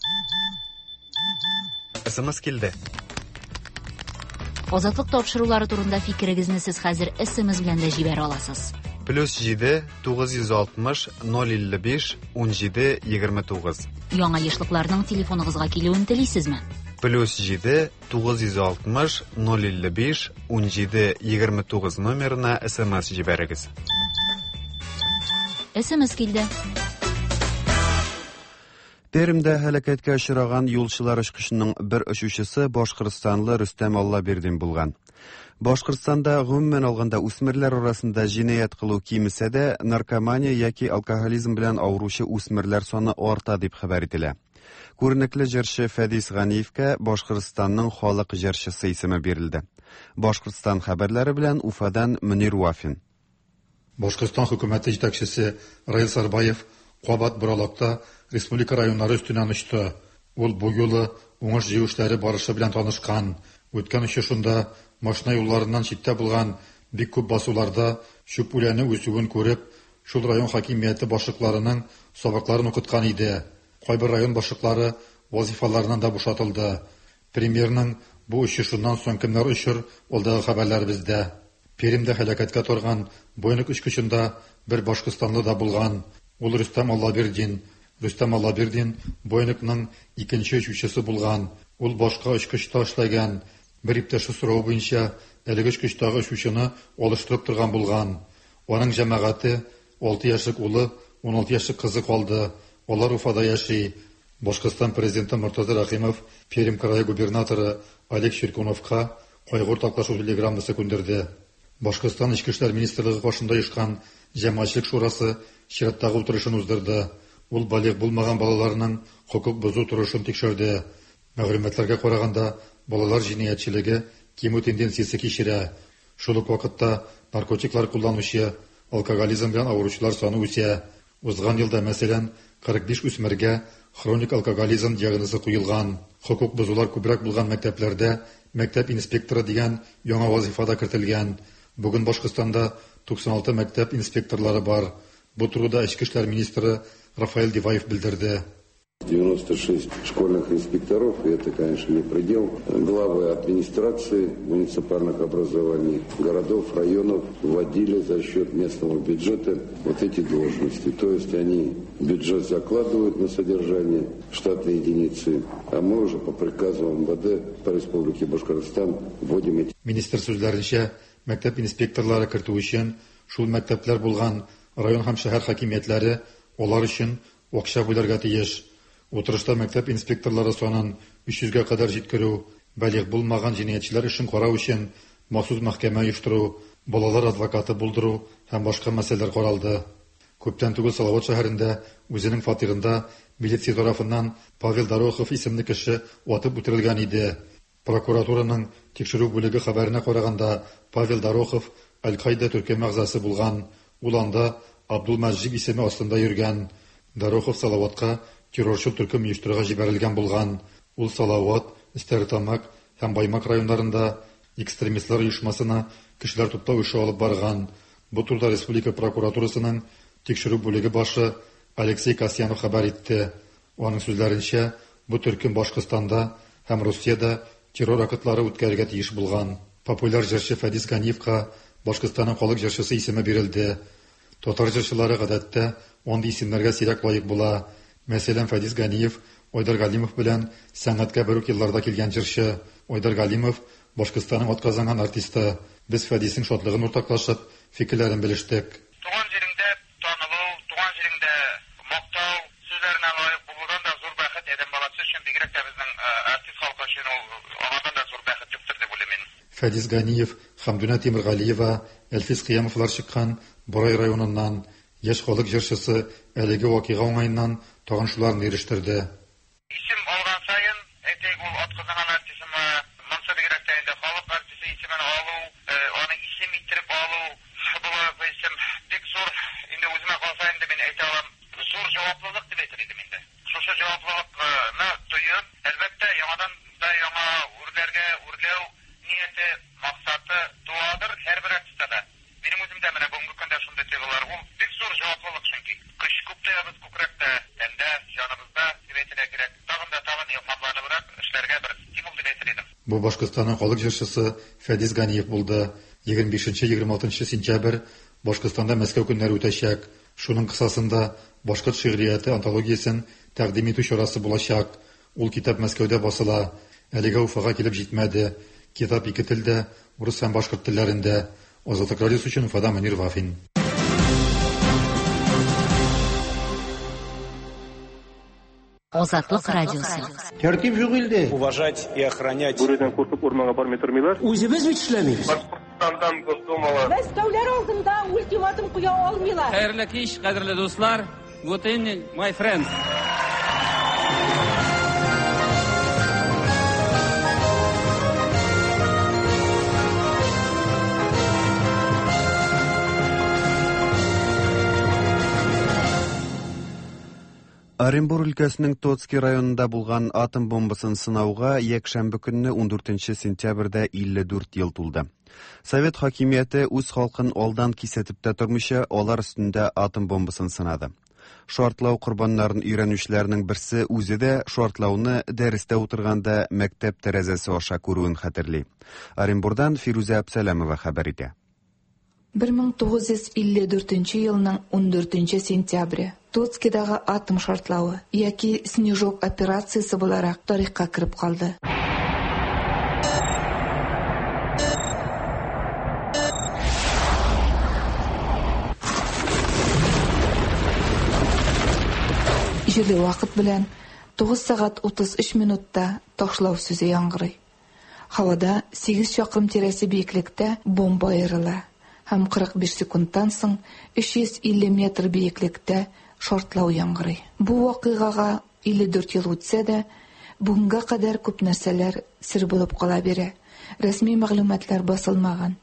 [SPEAKER 1] СМС килде.
[SPEAKER 9] Азатлык тапшырулары турында фикерегезне сез хәзер СМС белән дә җибәрә аласыз.
[SPEAKER 1] Плюс 7 960 055 17 29.
[SPEAKER 9] Яңа ешлыкларның телефоныгызга килүен телисезме?
[SPEAKER 1] Плюс 7 960 055 17 29 номерына СМС җибәрегез.
[SPEAKER 9] СМС килде.
[SPEAKER 1] Пермьдә һәлакәткә очраган юлчылар очкычының бер очучысы башкортстанлы Рөстәм Аллабирдин булган. Башкортстанда гомумән алганда үсмерләр арасында җинаять кылу кимесә дә, наркомания яки алкоголизм белән авыручы үсмерләр саны арта дип хәбәр ителә. Күренекле җырчы Фәдис Ганиевкә Башкортстанның халык җырчысы исеме бирелде. Башкортстан хәбәрләре белән Уфадан Мөнир Вафин.
[SPEAKER 14] Башкортстан хөкүмәте җитәкчесе Раил Сарбаев кабат боралакта республика районнары өстеннән очты. Ул бу юлы уңыш җыю эшләре барышы белән танышкан. Үткән очышында машина юлларыннан читтә булган бик күп басуларда чүп үләне үсүен күреп, шул район хакимияте башлыкларының сабакларын укыткан иде. Кайбер район башлыклары вазифаларыннан да бушатылды. Премьерның бу очышыннан соң кемнәр очыр, алдагы хәбәрләребездә. Пермьдә һәлакәткә торган Боинг очкычында бер башкортстанлы да булган. Ул Рөстәм Аллабирдин. Рөстәм Аллабирдин Боингның икенче очучысы булган. Ул башка очкычта эшләгән. Бер иптәше соравы буенча әлеге очкычтагы очучыны алыштырып торган булган. Аның җәмәгате 6 яшьлек улы, 16 яшьлек кызы калды. Алар Уфада яши. Башкортстан президенты Мортаза Рәхимов Пермь крае губернаторы Олег Щеркуновка кайгы уртаклашу телеграммасы күндерде. Башкортстан Эчке эшләр министрлыгы каршында оешкан җәмәгатьчелек шурасы чираттагы утырышын уздырды. Ул балигъ булмаган балаларның хокук бозу торышын тикшерде. Мәгълүматларга караганда, балалар җинаятьчелеге кимү тенденциясе кичерә. Шул ук вакытта наркотиклар кулланучы, алкоголизм белән авыручылар саны үсә. Узган елда, мәсәлән, 45 үсмергә хроник алкоголизм диагнозы куелган. Хокук бозулар күбрәк булган мәктәпләрдә мәктәп инспекторы дигән яңа вазифа да кертелгән. Бүген Башкортстанда 96 мәктәп инспекторлары бар. Бу турыда Эчке эшләр министры Рафаэль Диваев белдерде.
[SPEAKER 15] 96 школьных инспекторов, и это, конечно, не предел. Главы администрации муниципальных образований, городов, районов вводили за счет местного бюджета вот эти должности. То есть они бюджет закладывают на содержание штатной единицы, а мы уже по приказу МВД по Республике Башкортостан вводим эти.
[SPEAKER 14] Министр сүзләренчә, мәктәп инспекторлары кертү өчен шул мәктәпләр булган район һәм шәһәр хакимиятләре алар өчен акча бүләргә тиеш. Утырышта мәктәп инспекторлары санын 300гә кадәр җиткерү, балигъ булмаган җинаятьчеләр эшен карау өчен махсус мәхкәмә оештыру, балалар адвокаты булдыру һәм башка мәсьәләләр каралды. Күптән түгел Салават шәһәрендә үзенең фатирында милиция тарафыннан Павел Дорохов исемле кеше атып үтерелгән иде. Прокуратураның тикшерү бүлеге хәбәренә караганда, Павел Дорохов Аль-Каида төркеме әгъзасы булган. Ул анда Абдул Мәҗиб исеме астында йөргән. Дорохов Салаватка террорчыл төркем оештырырга җибәрелгән булган. Ул Салават, Стәрлетамак һәм Баймак районнарында экстремистлар оешмасына кешеләр туплау эше алып барган. Бу турыда республика прокуратурасының тикшерү бүлеге башы Алексей Касьянов хәбәр итте. Аның сүзләренчә, бу төркем Башкортстанда һәм Русиядә террор актлары үткәрергә тиеш булган. Популяр җырчы Фәдис Ганиевка Башкортстанның халык җырчысы исеме бирелде. Татар җырчылары гадәттә андый исемнәргә сирәк лаек була. Мәсәлән, Фәдис Ганиев Айдар Галимов белән сәнгатькә бер үк елларда килгән җырчы. Айдар Галимов Башкортстанның атказанган артисты. Без Фәдиснең шатлыгын уртаклашып, фикерләрен белештек.
[SPEAKER 16] Туган җиреңдә танылу, туган җиреңдә мактау сүзләренә лаек булудан да зур бәхет адәм баласы өчен, бигрәк тә безнең артист халкы өчен ул аңардан да зур бәхет юктыр дип уйлыйм мин.
[SPEAKER 14] Фәдис Ганиев, Хәмдүнә Тимергалиева, Әлфис Кыямовлар чыккан Борай районыннан. Яшь халык җырчысы әлеге вакыйга уңаеннан тагын шуларны ирештерде.
[SPEAKER 16] Исем алган саен, әйтик, ул атказанган артистымы, монсы бигрәк тә инде халык артисты исемен алу, аны исем иттереп алу, бу исем бик зур, инде үземә калса инде мин әйтә алам, зур җаваплылык дип әйтер идем инде. Шушы җаваплылыкны тоеп, әлбәттә, яңадан да яңа үрләргә үрләү нияте, максаты туадыр һәрбер артистта да. Минем үземдә менә бүгенге көндә шундый тойгылар. Ул бик зур җаваплылык чөнки. Көч күп тоябыз күкрәктә, тәндә, җаныбызда дип әйтергә кирәк. Тагын да тагын илһамланыбрак эшләргә бер стимул дип әйтер идем.
[SPEAKER 14] Бу Башкортстанның халык җырчысы Фәдис Ганиев булды. 25-26 сентябрь Башкортстанда Мәскәү көннәре үтәчәк. Шуның кысасында башкорт шигърияте антологиясен тәкъдим итү чарасы булачак. Ул китап Мәскәүдә басыла. Әлегә Уфага килеп җитмәде. Китап ике телдә, урыс һәм башкорт телләрендә. Азатлык радиосы өчен Уфадан Мөнир Вафин.
[SPEAKER 9] Азатлык радиосы.
[SPEAKER 17] Тәртип юк илдә.
[SPEAKER 5] Уважать и охранять.
[SPEAKER 18] Бүредән куркып урманга бармый тормыйлар.
[SPEAKER 17] Үзебез бит эшләмибез.
[SPEAKER 18] Башкортстандан Госдумалар.
[SPEAKER 19] Мәскәүләр алдында ультиматум куя алмыйлар.
[SPEAKER 20] Хәерле кич, кадерле дуслар. Good evening, my friends.
[SPEAKER 1] Оренбур өлкәсенең Тоцкий районында булган атом бомбасын сынауга якшәмбе көнне 14 сентябрьдә 54 ел тулды. Совет хакимияте үз халкын алдан кисәтеп тә тормыйча, алар өстендә атом бомбасын сынады. Шартлау корбаннарын өйрәнүчеләрнең берсе үзе дә шартлауны дәрестә утырганда мәктәп тәрәзәсе аша күрүен хәтерли. Оренбурдан Фирүзә Әпсәләмова хәбәр итә.
[SPEAKER 21] 1954 елның 14 сентябре Тоцкидагы атом шартлавы яки Снежок операциясе буларак тарихка кереп калды. Җирле вакыт белән 9 сәгать 33 минутта ташлау сүзе яңгырый. Һавада 8 чакрым тирәсе биеклектә бомба аерыла һәм 45 секундтан соң 350 метр биеклектә шартлау яңгырый. Бу вакыйгага 54 ел үтсә дә, бүгенгә кадәр күп нәрсәләр сер булып кала бирә. Рәсми мәгълүматлар басылмаган.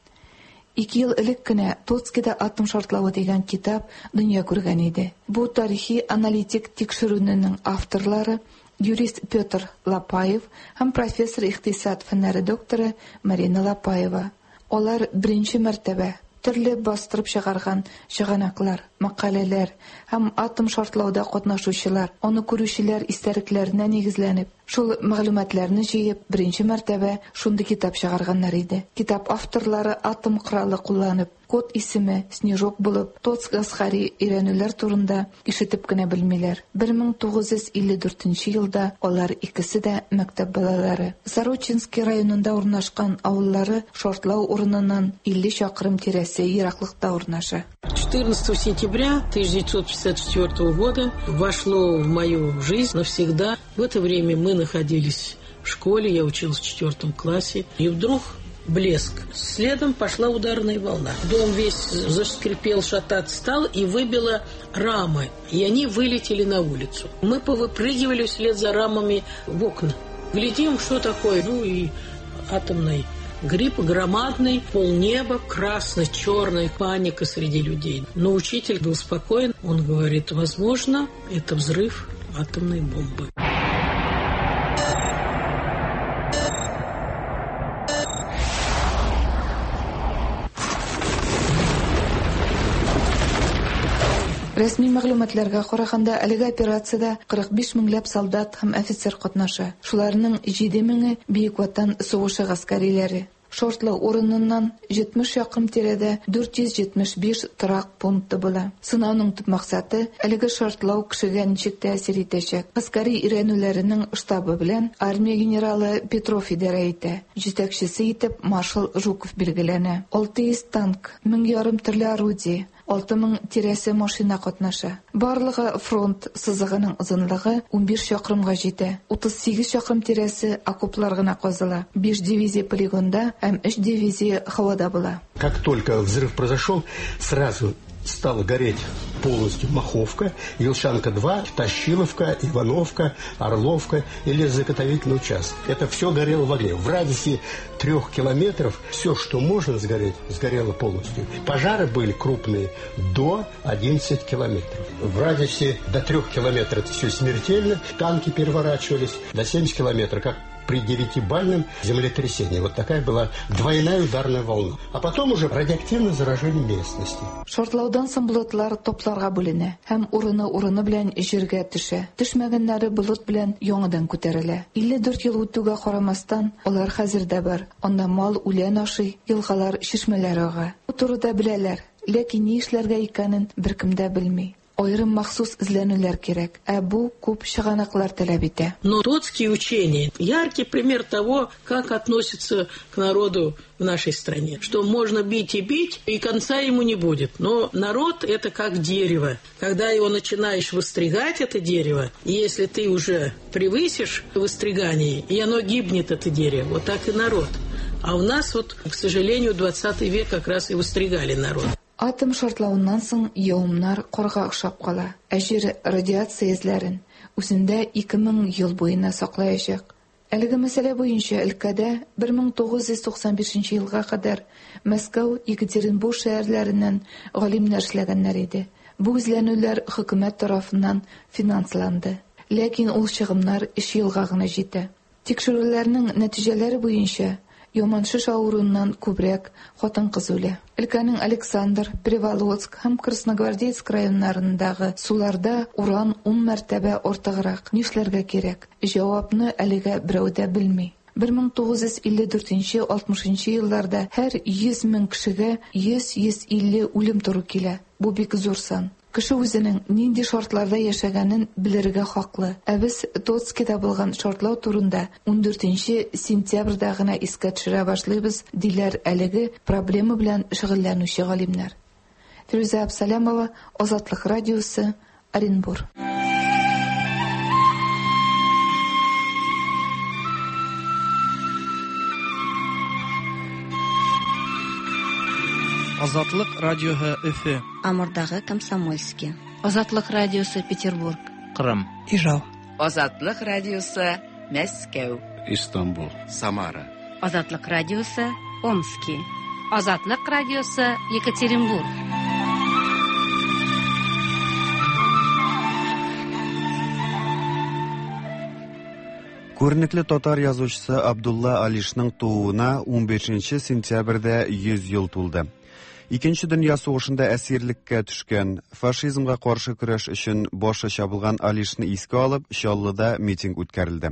[SPEAKER 21] Ике ел элек кенә Тоцкида атом шартлавы дигән китап дөнья күргән иде. Бу тарихи аналитик тикшерүнең авторлары юрист Петр Лапаев һәм профессор икътисад фәннәре докторы Марина Лапаева. Алар беренче мәртәбә төрле бастырып чыгарган чыганаклар, мәкаләләр һәм атом шартлауда катнашучылар, аны күрүчеләр истәлекләренә нигезләнеп, шул мәгълүматларны җыеп, беренче мәртәбә шундый китап чыгарганнар иде. Китап авторлары атом коралы кулланып, код исеме Снежок булып, Тоцк гаскәри өйрәнүләр турында ишетеп кенә белмиләр. 1954 елда алар икесе дә мәктәп балалары. Сорочинский районында урнашкан авыллары шартлау урыныннан 50 чакрым тирәсе ераклыкта урнаша.
[SPEAKER 22] 14 сентября 1954 года вошло в мою жизнь навсегда. В это время мы находились в школе, я училась в 4 классе. И вдруг блеск. Следом пошла ударная волна. Дом весь заскрипел, шататься стал и выбило рамы. И они вылетели на улицу. Мы повыпрыгивали вслед за рамами в окна. Глядим, что такое. Ну и атомный гриб громадный, полнеба, красно-черная паника среди людей. Но учитель был спокоен. Он говорит, возможно, это взрыв атомной бомбы.
[SPEAKER 21] Рәсми мәгълүматларга караганда, әлеге операциядә 45 меңләп солдат һәм офицер катнаша. Шуларның 7 меңе Бөек Ватан сугышы гаскәриләре. Шартлау урыныннан 70 чакрым тирәдә 475 торак пункты була. Сынауның төп максаты әлеге шартлау кешегә ничек тәэсир итәчәк. Гаскәри өйрәнүләренең штабы белән армия генералы Петров идарә итә. Җитәкчесе итеп маршал Жуков билгеләнә. 600 танк, 1500 төрле орудие, 6000 тирәсе машина катнаша. Барлыгы фронт сызыгының озынлыгы 15 чакрымга җитә. 38 чакрым тирәсе окоплар гына казыла. 5 дивизия полигонда һәм 3 дивизия һавада була.
[SPEAKER 3] Как только взрыв произошел, сразу стала гореть полностью Маховка, Елшанка-2, Тащиловка, Ивановка, Орловка и лесозаготовительный участок. Это все горело в огне. В радиусе 3 километров все, что можно сгореть, сгорело полностью. Пожары были крупные до 11 километров. В радиусе до 3 километров это все смертельно. Танки переворачивались до 70 километров, как при 9-бальном землетрясении. Вот такая была двойная ударная волна. А потом уже радиоактивное заражение местности.
[SPEAKER 21] Шартлаудан соң болытлар топларга бүленә һәм урыны-урыны белән җиргә төшә. Төшмәгәннәре болыт белән яңадан күтәрелә. 54 ел үтүгә карамастан, алар хәзер дә бар. Анда мал үлән ашый, елгалар, чишмәләр ага. Бу турыда беләләр, ләкин ни эшләргә икәнен беркем дә белми. Аерым махсус эзләнүләр кирәк, ә бу күп чыганаклар таләп итә.
[SPEAKER 22] Но Тоцкие учения – яркий пример того, как относятся к народу в нашей стране. Что можно бить и бить, и конца ему не будет. Но народ – это как дерево. Когда его начинаешь выстригать, это дерево, и если ты уже превысишь выстригание, и оно гибнет, это дерево. Вот так и народ. А у нас вот, к сожалению, 20 век как раз и выстригали народ.
[SPEAKER 21] Атом шартлавыннан соң явымнар карга охшап кала, ә җир радиация эзләрен үзендә 2000 ел буена саклаячак. Әлеге мәсьәлә буенча өлкәдә 1995 елга кадәр Мәскәү, Екатеринбург шәһәрләреннән галимнәр эшләгәннәр иде. Бу эзләнүләр хөкүмәт тарафыннан финансланды. Ләкин ул чыгымнар 3 елга гына җитә. Тикшерүләрнең нәтиҗәләре буенча яман шеш авыруыннан күбрәк хатын-кыз үлә. Өлкәнең Александр, Приволоцк һәм Красногвардейск районнарындагы суларда уран 10 мәртәбә артыграк. Нишләргә кирәк? Җавапны әлегә берәү дә белми. 1954-60 елларда һәр 100 мең кешегә 100-150 үлем туры килә. Бу бик зур сан. Кеше үзенең нинди шартларда яшәгәнен белергә хаклы. Ә без Тоцкида булган шартлау турында 14 сентябрьдә генә искә төшерә башлыйбыз, диләр әлеге проблема белән шөгыльләнүче галимнәр. Фирүзә Абсалямова, Азатлык радиосы, Оренбур.
[SPEAKER 4] Азатлык радиоһы Өфе.
[SPEAKER 23] Амурдагы Комсомольский. Азатлык радиосы Петербург.
[SPEAKER 4] Кырым.
[SPEAKER 24] Ижау.
[SPEAKER 25] Азатлык радиосы Мәскәү.
[SPEAKER 26] Истанбул. Самара.
[SPEAKER 27] Азатлык радиосы Омски. Азатлык радиосы Екатеринбург.
[SPEAKER 1] Күренекле татар язучысы Абдулла Алишның тууына 15 сентябрьдә 100 ел тулды. Икенче дөнья сугышында әсирлеккә төшкән, фашизмга каршы көрәш өчен башы чабылган Алишны искә алып, Чаллыда митинг үткәрелде.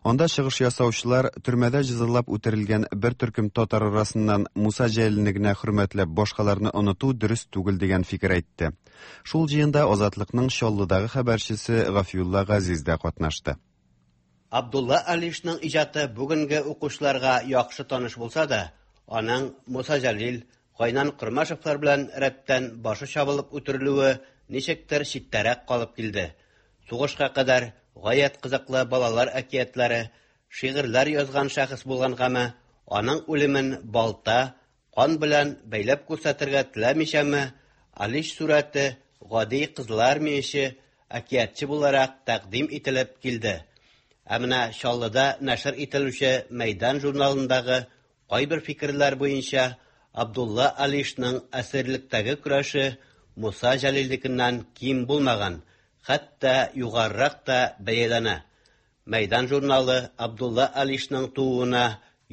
[SPEAKER 1] Анда чыгыш ясаучылар төрмәдә җәзалап үтерелгән бер төркем татар арасыннан Муса Җәлилне генә хөрмәтләп башкаларны оныту дөрес түгел дигән фикер әйтте. Шул җыенда Азатлыкның Чаллыдагы хәбәрчесе Гафиулла Газиз дә катнашты.
[SPEAKER 28] Абдулла Алишның иҗаты бүгенге укучыларга яхшы таныш булса да, аның Муса Җәлил, Гайнан Кормашевлар белән рәттән башы чабылып үтерелүе ничектер читтәрәк калып килде. Сугышка кадәр гаять кызыклы балалар әкиятләре, шигырьләр язган шәхес булгангамы, аның үлемен балта, кан белән бәйләп күрсәтергә теләмичәме, Алиш сурәте гади кызылармияче, әкиятче буларак тәкъдим ителеп килде. Ә менә Чаллыда нәшер ителүче Мәйдан журналындагы кайбер фикерләр буенча Абдулла Алишның әсирлектәге көрәше Муса Җәлилнекеннән ким булмаган, хәтта югарырак та бәяләнә. Мәйдан журналы Абдулла Алишның тууына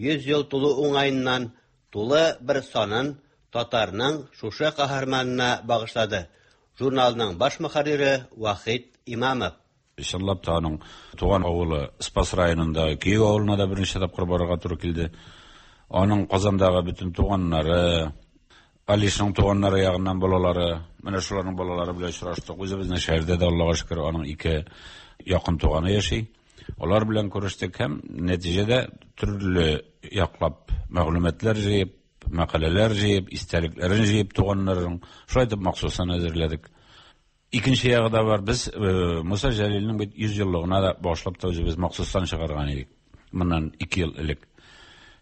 [SPEAKER 28] 100 ел тулу уңаеннан тулы бер санын татарның шушы каһарманына багышлады. Журналның баш мөхәррире Вахит Имамов.
[SPEAKER 2] Чынлап та аның туган авылы Спас районындагы Көек авылына да берничә тапкыр барырга туры килде. Аның Казандагы бөтен туганнары, Алишның туганнары ягыннан балалары, менә шуларның балалары белән очраштык. Үзебезнең шәһәрдә дә, Аллага шөкер, аның ике якын туганы яши. Алар белән күрештек һәм нәтиҗәдә төрле яклап мәгълүматлар җыеп, мәкаләләр җыеп, истәлекләрен җыеп туганнарының, шулай итеп махсусан әзерләдек. Икенче ягы да бар. Без Муса Җәлилнең бит 100 еллыгына да багышлап та үзебез махсустан чыгарган идек. Моннан 2 ел элек.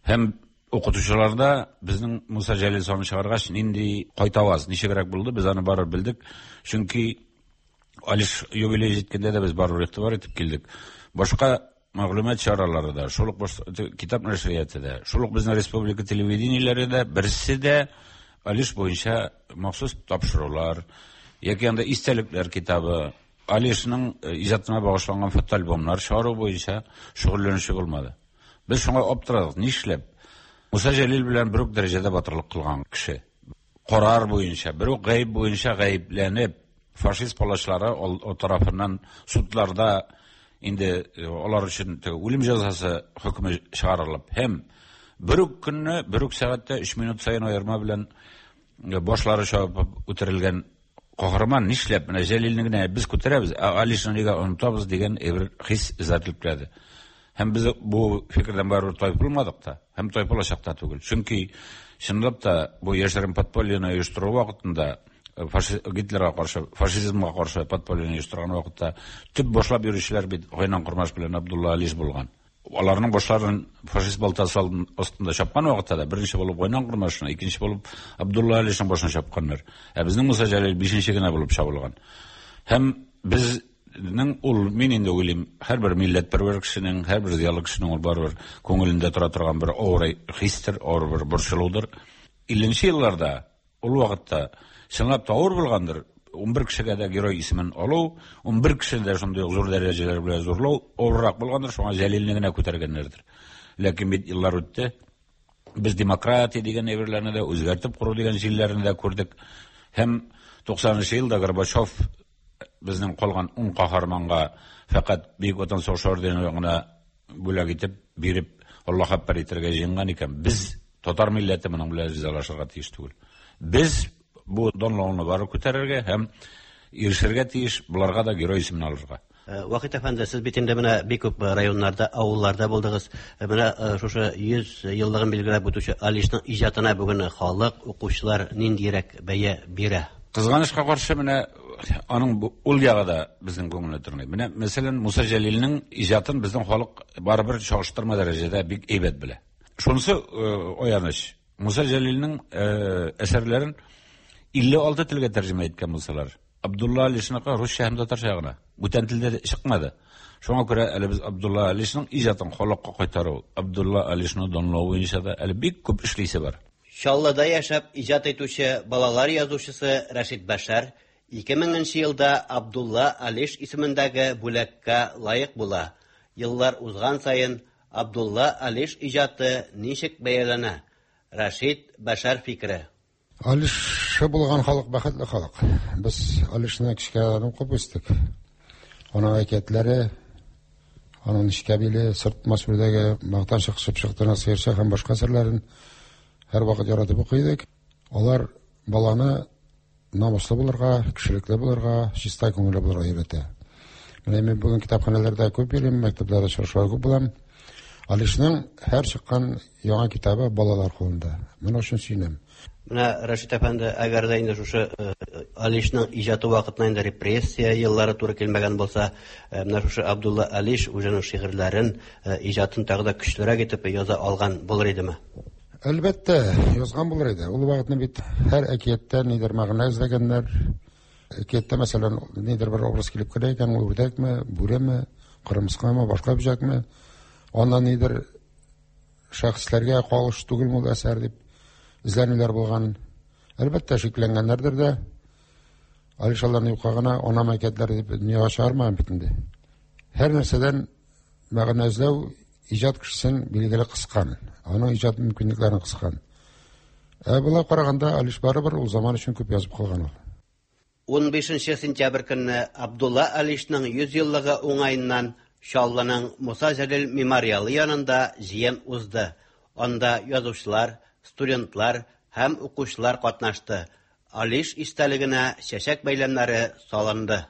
[SPEAKER 2] Һәм укытучыларда безнең Муса Җәлил санын чыгаргач нинди кайтаваз, ничегрәк булды, без аны барыбер белдек. Чөнки Алиш юбилей җиткәндә дә без барыбер игътибар итеп килдек. Башка мәгълүмат чаралары да, шул ук китап нәшрияты да, шул ук безнең республика телевидениеләре дә берсе дә Алиш буенча махсус тапшырулар яки анда истәлекләр китабы, Алишның иҗатына багышланган фотоальбомнар чыгару буенча шөгыльләнүче булмады. Без шуңа аптырадык, нишләп? Муса Җәлил белән бер үк дәрәҗәдә батырлык кылган кеше. Карар буенча, бер үк гаеп буенча гаепләнеп, фашист палачлары тарафыннан судларда инде алар өчен үлем җәзасы хөкеме чыгарылып һәм бер үк көнне, бер үк сәгатьтә 3 минут саен аерма белән башлары чабып үтерелгән каһарман нишләп менә Җәлилне генә без күтәрәбез, ә Алишны нигә онытабыз дигән бер хис эзәрлекләде. Һәм без бу фикердән барыбер тайпылмадык та, һәм тайпылачак та түгел. Чөнки чынлап та бу яшерен подпольены оештыру вакытында Гитлерга каршы, фашизмга каршы подпольены оештырган вакытта төп башлап йөрүчеләр бит Гайнан Кормаш белән Абдулла Алиш булган. Аларның башларын фашист балтасы астында чапкан вакытта да беренче булып Гайнан Кормашны, икенче булып Абдулла Алишның башын чапканнар. Ә безнең Муса Җәлил бишенче генә булып чабылган. Һәм безнең ул, мин инде уйлыйм, һәрбер милләтпәрвәр кешенең, һәрбер зыялы кешенең ул барыбер күңелендә тора торган бер авыр хистер, авыр бер борчылудыр. 50 елларда, ул вакытта чынлап та авыр булгандыр, 11 кешегә дә герой исемен алу, 11 кешене дә шундый ук зур дәрәҗәләр белән зурлау авыррак булгандыр, шуңа Җәлилне генә күтәргәннәрдер. Ләкин бит еллар үтте. Без демократия дигән әйберләрне дә, үзгәртеп кору дигән җилләрне дә күрдек. Һәм 90 елда Горбачев безнең калган 10 каһарманга фәкать Бөек Ватан сугышы ордены гына бүләк итеп биреп, Аллаһ әкбәр итәргә җыенган икән, без, татар милләте, моның белән ризалашырга тиеш түгел. Без бу данлауны бары күтәрергә һәм ирешергә тиеш, боларга да герой исемен алырга.
[SPEAKER 28] Вахит әфәнде, сез бит инде менә бик күп районнарда, авылларда булдыгыз. Менә шушы 100 еллыгын билгеләп үтүче Алишның иҗатына бүген халык, укучылар ниндирәк бәя бирә?
[SPEAKER 2] Кызганычка каршы, менә аның ул ягы да безнең күңелне тырный. Менә, мәсәлән, Муса Җәлилнең иҗатын безнең халык барыбер чагыштырма дәрәҗәдә бик әйбәт белә. Шунысы аяныч. Муса Җәлилнең әсәрләрен 56 телгә тәрҗемә иткән булсалар, Абдулла Алишныкы русча һәм татарча гына. Бүтән телдә чыкмады. Шуңа күрә әле без Абдулла Алишның иҗатын халыкка кайтару, Абдулла Алишны данлау буенча да әле бик күп эшлисе бар.
[SPEAKER 28] Чаллыда яшәп иҗат итүче балалар язучысы Рәшит Бәшәр 2000 нче елда Абдулла Алиш исемендәге бүләккә лаек була. Еллар узган саен Абдулла Алиш иҗаты ничек бәяләнә? Рәшит Бәшәр фикере.
[SPEAKER 6] Алишы булган халык бәхетле халык. Без Алишны кечкенәдән укып үстек. Аның әкиятләре, аның нечкә биле, сыртмас үрдәге, мактанчык чыпчык тына сыерчык һәм башка әсәрләрен һәрвакыт яратып укый идек. Алар баланы намуслы булырга, кешелекле булырга, чиста күңелле булырга өйрәтә. Менә мин бүген китапханәләрдә күп йөрим, мәктәпләрдә очрашулар күп булам. Алишның һәр чыккан яңа китабы балалар кулында. Моның өчен сөенәм.
[SPEAKER 28] Менә, Рәшит әфәнде, әгәр дә инде шушы Алишның иҗаты вакытына инде репрессия еллары туры килмәгән булса, менә шушы Абдулла Алиш үзенең шигырьләрен, иҗатын тагы да көчлерәк итеп яза алган булыр идеме?
[SPEAKER 6] Әлбәттә, язган булыр иде. Ул вакытны бит һәр әкияттә нидер мәгънә эзләгәннәр. Әкияттә, мәсәлән, нидер бер образ килеп керә икән, ул үрдәкме, бүреме, кырмыскамы, башка бөҗәкме, аннан нидер шәхесләргә калыш түгелме ул әсәр дип эзләнүләр булган. Әлбәттә, шикләнгәннәрдер дә. Алиш аларны юкка гына анам әкиятләре дип дөньяга чыгармаган бит инде. Һәр нәрсәдән мәгънә эзләү иҗат кешесен билгеле кыскан, аның иҗат мөмкинлекләрен кыскан. Ә болай караганда, Алиш барыбер ул заман өчен күп язып калган ул.
[SPEAKER 28] 15 сентябрь көнне Абдулла Алишның 100 еллыгы уңаеннан Чаллының Муса Җәлил мемориалы янында җыен узды. Анда язучылар, студентлар һәм укучылар катнашты. Алиш истәлегенә чәчәк бәйләмнәре салынды.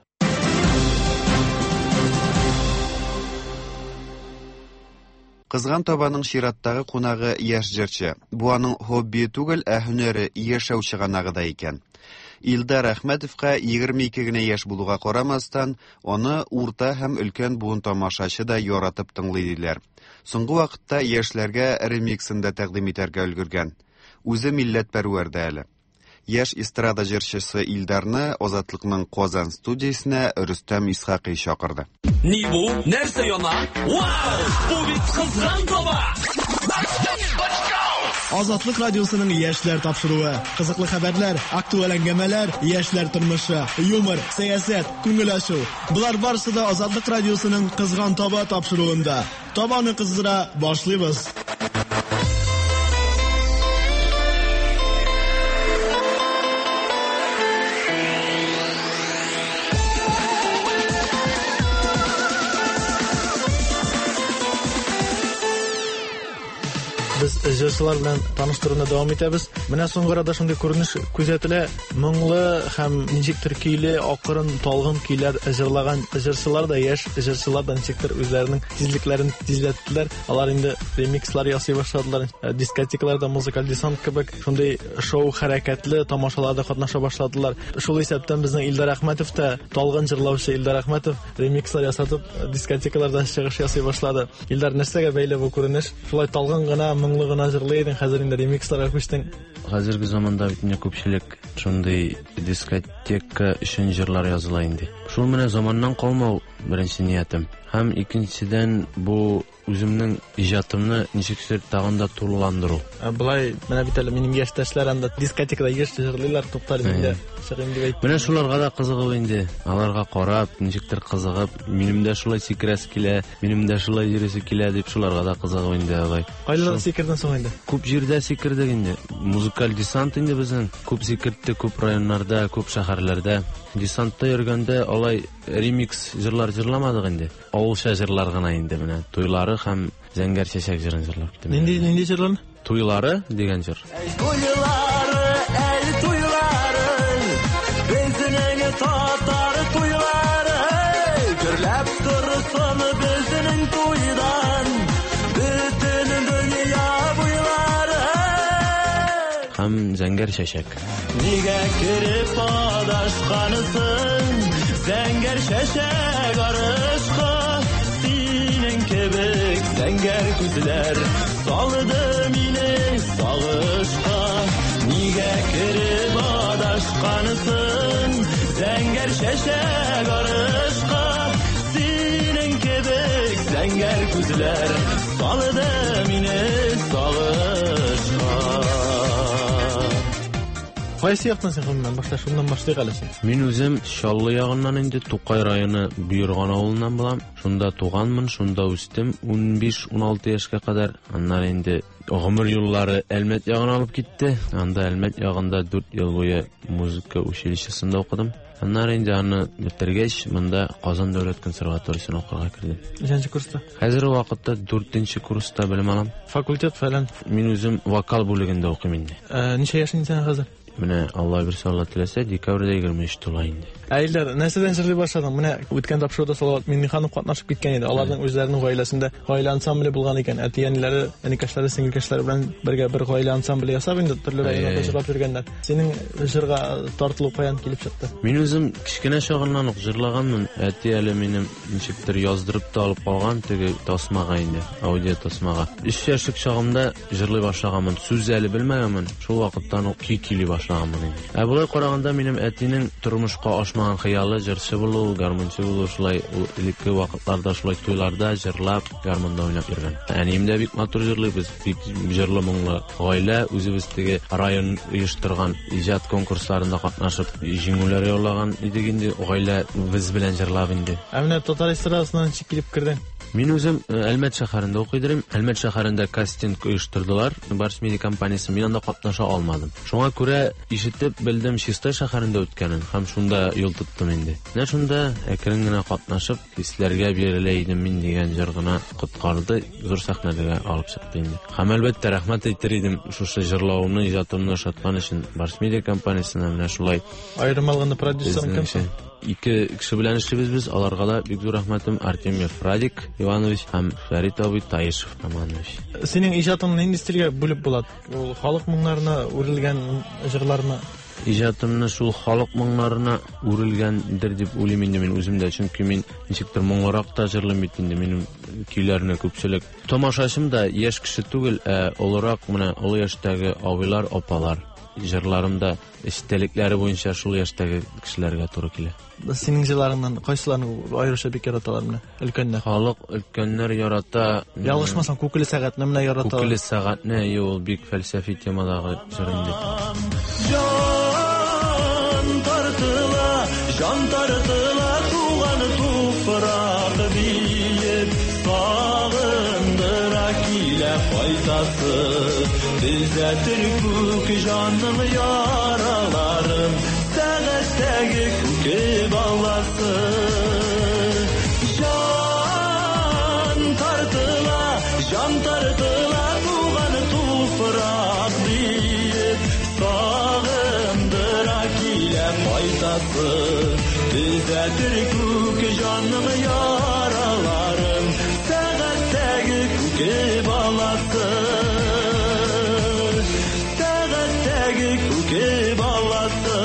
[SPEAKER 1] Кызган табаның чираттагы кунагы яшь җырчы. Бу аның хоббие түгел, ә һөнәре, яшәү чыганагы да икән. Илдар Әхмәтовка 22 генә яшь булуга карамастан, аны урта һәм өлкән буын тамашачы да яратып тыңлый диләр. Соңгы вакытта яшьләргә ремиксын да тәкъдим итәргә өлгергән. Үзе милләтпәрвәр дә әле. Яшь эстрада җырчысы Илдарны Азатлыкның Казан студиясенә Рөстәм Исхакый чакырды.
[SPEAKER 7] Ни бу? Нәрсә яна? Вау! Бу бит кызган таба!
[SPEAKER 4] Азатлык радиосының яшьләр тапшыруы. Кызыклы хәбәрләр, актуаль әңгәмәләр, яшьләр тормышы, юмор, сәясәт, күңел ачу. Болар барысы да Азатлык радиосының Кызган таба тапшыруында. Табаны кыздыра башлыйбыз.
[SPEAKER 8] Без җырчылар белән таныштыруны дәвам итәбез. Менә соңгы арада шундый күренеш күзәтелә. Моңлы һәм ничектер көйле, акрын, талгын көйләр җырлаган җырчылар да, яшь җырчылар да ничектер үзләренең тизлекләрен тизләттеләр. Алар инде ремикслар ясый башладылар. Дискотекаларда музыкаль десант кебек шундый шоу хәрәкәтле тамашаларда катнаша башладылар. Шул исәптән безнең Илдар Әхмәтов та, талгын җырлаучы Илдар Әхмәтов ремикслар ясатып, дискотекаларда чыгыш ясый башлады. Илдар, нәрсәгә бәйле бу күренеш? Шулай талгын гына, моңлы гына җырлый идең, хәзер инде ремиксларга күчтең.
[SPEAKER 10] Хәзерге заманда бит инде күпчелек шундый дискотека өчен җырлар языла инде. Шул менә заманнан калмау беренче ниятем. Һәм икенчедән бу үземнең иҗатымны ничектер тагын да тулыландыру.
[SPEAKER 8] Ә Болай менә бит әле минем яшьтәшләр анда дискотекада еш җырлыйлар, туктале мин дә чыгыйм дип әйттем.
[SPEAKER 10] Менә шуларга да кызыгып инде, аларга карап, ничектер кызыгып, минем дә шулай сикерәсе килә, минем дә шулай йөрисе килә дип шуларга да кызыгып инде алай.
[SPEAKER 8] Кайларда сикердең соң инде?
[SPEAKER 10] Күп җирдә сикердек инде. Музыкаль десант инде безнең. Күп сикертте, күп районнарда, күп шәһәрләрдә. Десантта йөргәндә алай ремикс җырлар җырламадык инде. Авылча җырлар гына инде менә. Туйлары һәм Зәңгәр чәчәк җырын җырлап киттем.
[SPEAKER 8] Нинди нинди җырларны?
[SPEAKER 10] Туйлары дигән җыр.
[SPEAKER 7] Туйлары, әй туйлары, безнең татар туйлары, гөрләп торсын безнең туйдан, бөтен дөнья буйлары.
[SPEAKER 10] Һәм Зәңгәр чәчәк.
[SPEAKER 7] Нигә кереп адашкансың, зәңгәр чәчәк арышка, синең кебек зәңгәр күзләр салды мине сагышка. Нигә кереп адашкансың, зәңгәр чәчәк арышка, синең кебек зәңгәр күзләр салды мине сагышка.
[SPEAKER 8] Кайсы яктан син гомумән? Башта шуннан башлыйк әле син.
[SPEAKER 10] Мин үзем Чаллы ягыннан инде, Тукай районы Боерган авылыннан булам. Шунда туганмын, шунда үстем 15-16 яшькә кадәр. Аннары инде гомер юллары Әлмәт ягына алып китте. Анда Әлмәт ягында 4 ел буе музыка училищесында укыдым. Аннары инде аны бетергәч, монда Казан дәүләт консерваториясенә укырга кердем.
[SPEAKER 8] Ничәнче курста?
[SPEAKER 10] Хәзерге вакытта 4 курста белем алам.
[SPEAKER 8] Факультет фәлән.
[SPEAKER 10] Мин үзем вокал бүлегендә укыйм инде.
[SPEAKER 8] Ничә яшең синең хәзер?
[SPEAKER 10] Менә Алла бирсә, Алла теләсә, декабрьдә 23 тула инде.
[SPEAKER 8] Ә Илдар, нәрсәдән җырлый башладың? Менә үткән тапшыруда Салават Миңнеханов катнашып киткән иде. Аларның үзләренең гаиләсендә гаилә ансамбле булган икән. Әти-әниләре, энекәшләре, сеңелкәшләре белән бергә бер гаилә ансамбле ясап инде төрле районнарда җырлап йөргәннәр. Синең җырга тартылу каян килеп чыкты?
[SPEAKER 10] Мин үзем кечкенә чагыннан ук җырлаганмын. Әти әле минем ничектер яздырып та алып калган теге тасмага инде, аудио тасмага. 3 яшьлек чагымда җырлый башлаганмын. Сүз әле белмәгәнмен. Шул вакыттан ук көй көйли башлаганмын инде. Ә болай караганда минем әтинең тормышка ашмаган хыялы җырчы булу, гармунчы булу, шулай ул элекке вакытларда шулай туйларда җырлап, гармунда уйнап йөргән. Әнием дә бик матур җырлый, без бик җырлы моңлы гаилә, үзебез теге район оештырган иҗат конкурсларында катнашып җиңүләр яулаган идек инде, гаилә без белән җырлап инде.
[SPEAKER 8] Ә менә татар эстрадасына ничек килеп кердең?
[SPEAKER 10] Мин үзем Әлмәт шәһәрендә укый идем. Әлмәт шәһәрендә кастинг оештырдылар. Барс Медиа компаниясе. Мин анда катнаша алмадым. Шуңа күрә ишетеп белдем Чистай шәһәрендә үткәнен һәм шунда юл тоттым инде. Менә шунда әкрен генә катнашып, хисләргә бирелә идем мин дигән җыр гына коткарды, зур сәхнәләргә алып чыкты инде. Һәм әлбәттә рәхмәт әйтер идем шушы җырлавымны, иҗатымны ошаткан өчен Барс Медиа компаниясенә менә шулай.
[SPEAKER 8] Аерым алганда продюсерың кем соң?
[SPEAKER 10] Ике кеше белән эшлибез без, аларга да бик зур рәхмәтем, Артемьев Радик Иванович һәм Фәрит абый Таишев Романович.
[SPEAKER 8] Синең иҗатыңны нинди стильгә бүлеп була? Ул халык моңнарына үрелгән җырлармы?
[SPEAKER 10] Иҗатымны шул халык моңнарына үрелгәндер дип уйлыйм инде мин үзем дә, чөнки мин ничектер моңлырак та җырлыйм бит инде, минем көйләрне күпчелек. Тамашачым да яшь кеше түгел, ә олырак, менә олы яшьтәге абыйлар, апалар. Җырларым да эчтәлекләре буенча шул яшьтәге кешеләргә туры килә.
[SPEAKER 8] Синең җырларыңнан кайсыларын аеруча бик яраталар менә өлкәннәр?
[SPEAKER 10] Халык өлкәннәр ярата.
[SPEAKER 8] Ялгышмасам, Күкеле сәгатьне менә яраталар.
[SPEAKER 10] Күкеле сәгатьне, әйе, ул бик фәлсәфи темадагы җыр инде.
[SPEAKER 7] Җан тартыла, җан тартыла туган туфрак диеп, сагындыра килә кайтасы. Төзәтер күк җанның яраларын, сәгатьтәге күке баласы. Җан тартыла, җан тартыла туган туфрак диеп, сагындыра килә кайтасы. Төзәтер күк җанның яраларын, сәгатьтәге күке баласы. Сәгатьтәге күке баласы.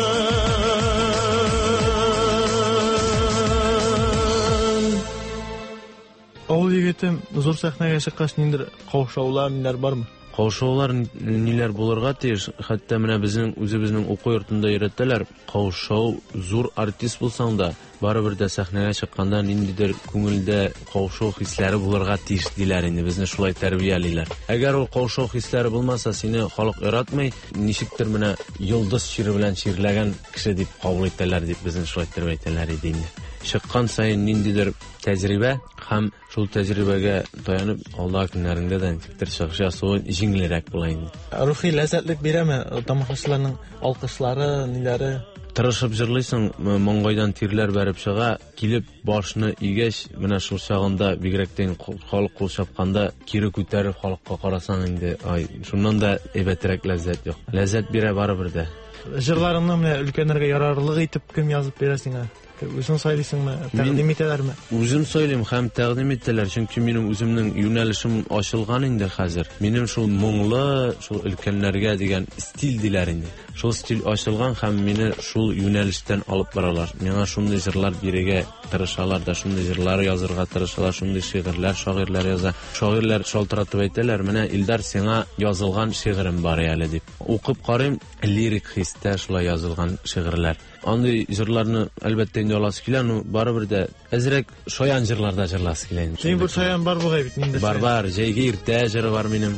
[SPEAKER 8] Авыл егете зур сәхнәгә чыккач ниндидер каушаулар, ниләр бармы?
[SPEAKER 10] Каушаулар ниләр булырга тиеш? Хәтта менә безнең үзебезнең уку йортында өйрәтәләр. Каушау, зур артист булсаң да, барыбер дә сәхнәгә чыкканда ниндидер күңелдә каушау хисләре булырга тиеш диләр инде, безне шулай тәрбиялиләр. Әгәр ул каушау хисләре булмаса, сине халык яратмый, ничектер менә йолдыз чире белән чирләгән кеше дип кабул итәләр дип безне шулай иттереп әйтәләр иде инде. Чыккан саен ниндидер тәҗрибә һәм шул тәҗрибәгә таянып алдагы көннәреңдә дә ничектер чыгыш ясавы җиңелрәк була инде.
[SPEAKER 8] Рухи ләззәтлек бирәме тамашачыларның алкышлары, ниләре?
[SPEAKER 10] Тырышып җырлыйсың, маңгайдан тирләр бәреп чыга, килеп башны игәч, менә шул чагында бигрәк тә инде халык кул чапканда кире күтәреп халыкка карасаң инде, ай, шуннан да әйбәтрәк ләззәт юк. Ләззәт бирә барыбер дә.
[SPEAKER 8] Җырларыңны менә өлкәннәргә ярарлык итеп кем язып бирә сиңа? Үзең сайлыйсыңмы, тәкъдим итәләрме?
[SPEAKER 10] Үзем сайлыйм һәм тәкъдим итәләр, чөнки минем үземнең юнәлешем ачылган инде хәзер. Минем шул моңлы, шул өлкәннәргә дигән стиль диләр инде. Шул стиль ачылган һәм мине шул юнәлештән алып баралар. Миңа шундый җырлар бирергә тырышалар да, шундый җырлар язырга тырышалар, шундый шигырьләр шагыйрьләр яза. Шагыйрьләр шалтыратып әйтәләр, менә Илдар, сиңа язылган шигырем бар әле дип. Укып карыйм, лирик хистә шулай язылган шигырьләр. Андый җырларны әлбәттә инде аласы килә, но барыбер дә әзрәк шаян җырлар да җырласы килә инде.
[SPEAKER 8] Синең бер шаян бар бугай бит, нинди?
[SPEAKER 10] Бар, бар, җәйге иртә җыры бар минем.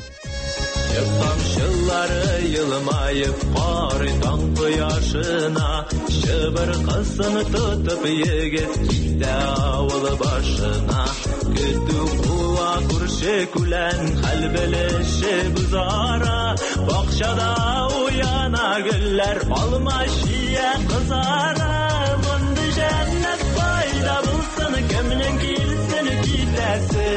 [SPEAKER 7] Тамчылары елмаеп карый таң кояшына, чыбыркысын тотып егет китә авыл башына. Көтү куа күрше күлән, хәл белешеп үзара, бакчада уяна гөлләр, алма чия кызара. Мондый җәннәт кайда булсын, кемнең килсен китәсе,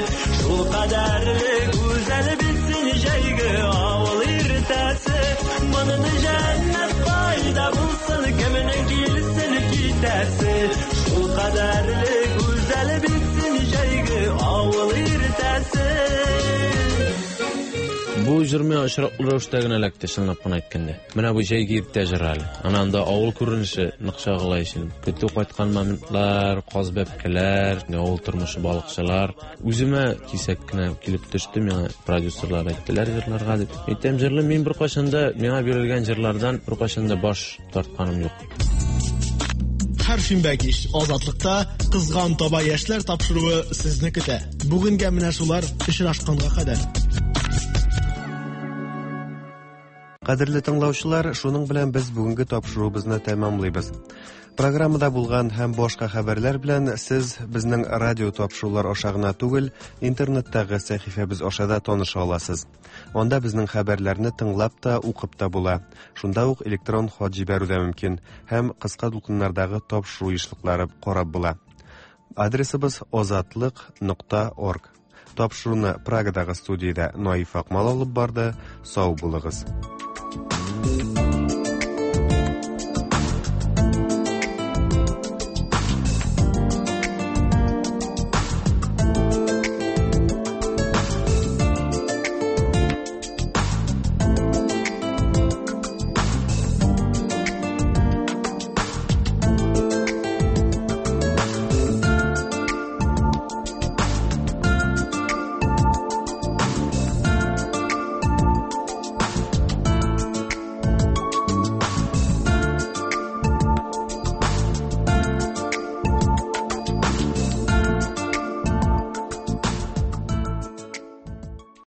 [SPEAKER 7] шул кадәрле гүзәл бит син җәйге авыл иртәсе. Мондый җәннәт кайда булсын, кемнең килсен китәсе, шул кадәрле гүзәл бит син җәйге авыл иртәсе.
[SPEAKER 10] Бу җыр миңа очраклы рәвештә генә эләкте, чынлап кына әйткәндә. Менә бу җәйге иртә җыры әле. Ана анда авыл күренеше нык чагыла ич инде. Көтү кайткан моментлар, каз бәбкәләр, авыл тормышы, балыкчылар. Үземә кисәк кенә килеп төште, миңа продюсерлар әйттеләр җырларга дип. Әйтәм, җырлыйм, мин беркайчан да миңа бирелгән җырлардан беркайчан да баш тартканым юк.
[SPEAKER 4] Һәр шимбә кич Азатлыкта Кызган таба яшьләр тапшыруы сезне көтә. Бүгенгә менә шулар, очрашканга кадәр.
[SPEAKER 1] Кадерле тыңлаучылар, шуның белән без бүгенге тапшыруыбызны тәмамлыйбыз. Программада булган һәм башка хәбәрләр белән сез безнең радио тапшырулар аша гына түгел, интернеттагы сәхифәбез аша да таныша аласыз. Анда безнең хәбәрләрне тыңлап та, укып та була. Шунда ук электрон хат җибәрү дә мөмкин һәм кыска дулкыннардагы тапшыру ешлыклары карап була. Адресыбыз озатлык.орг. Тапшыруны Прагадагы студиядә Наиф Акмал алып барды. Сау булыгыз.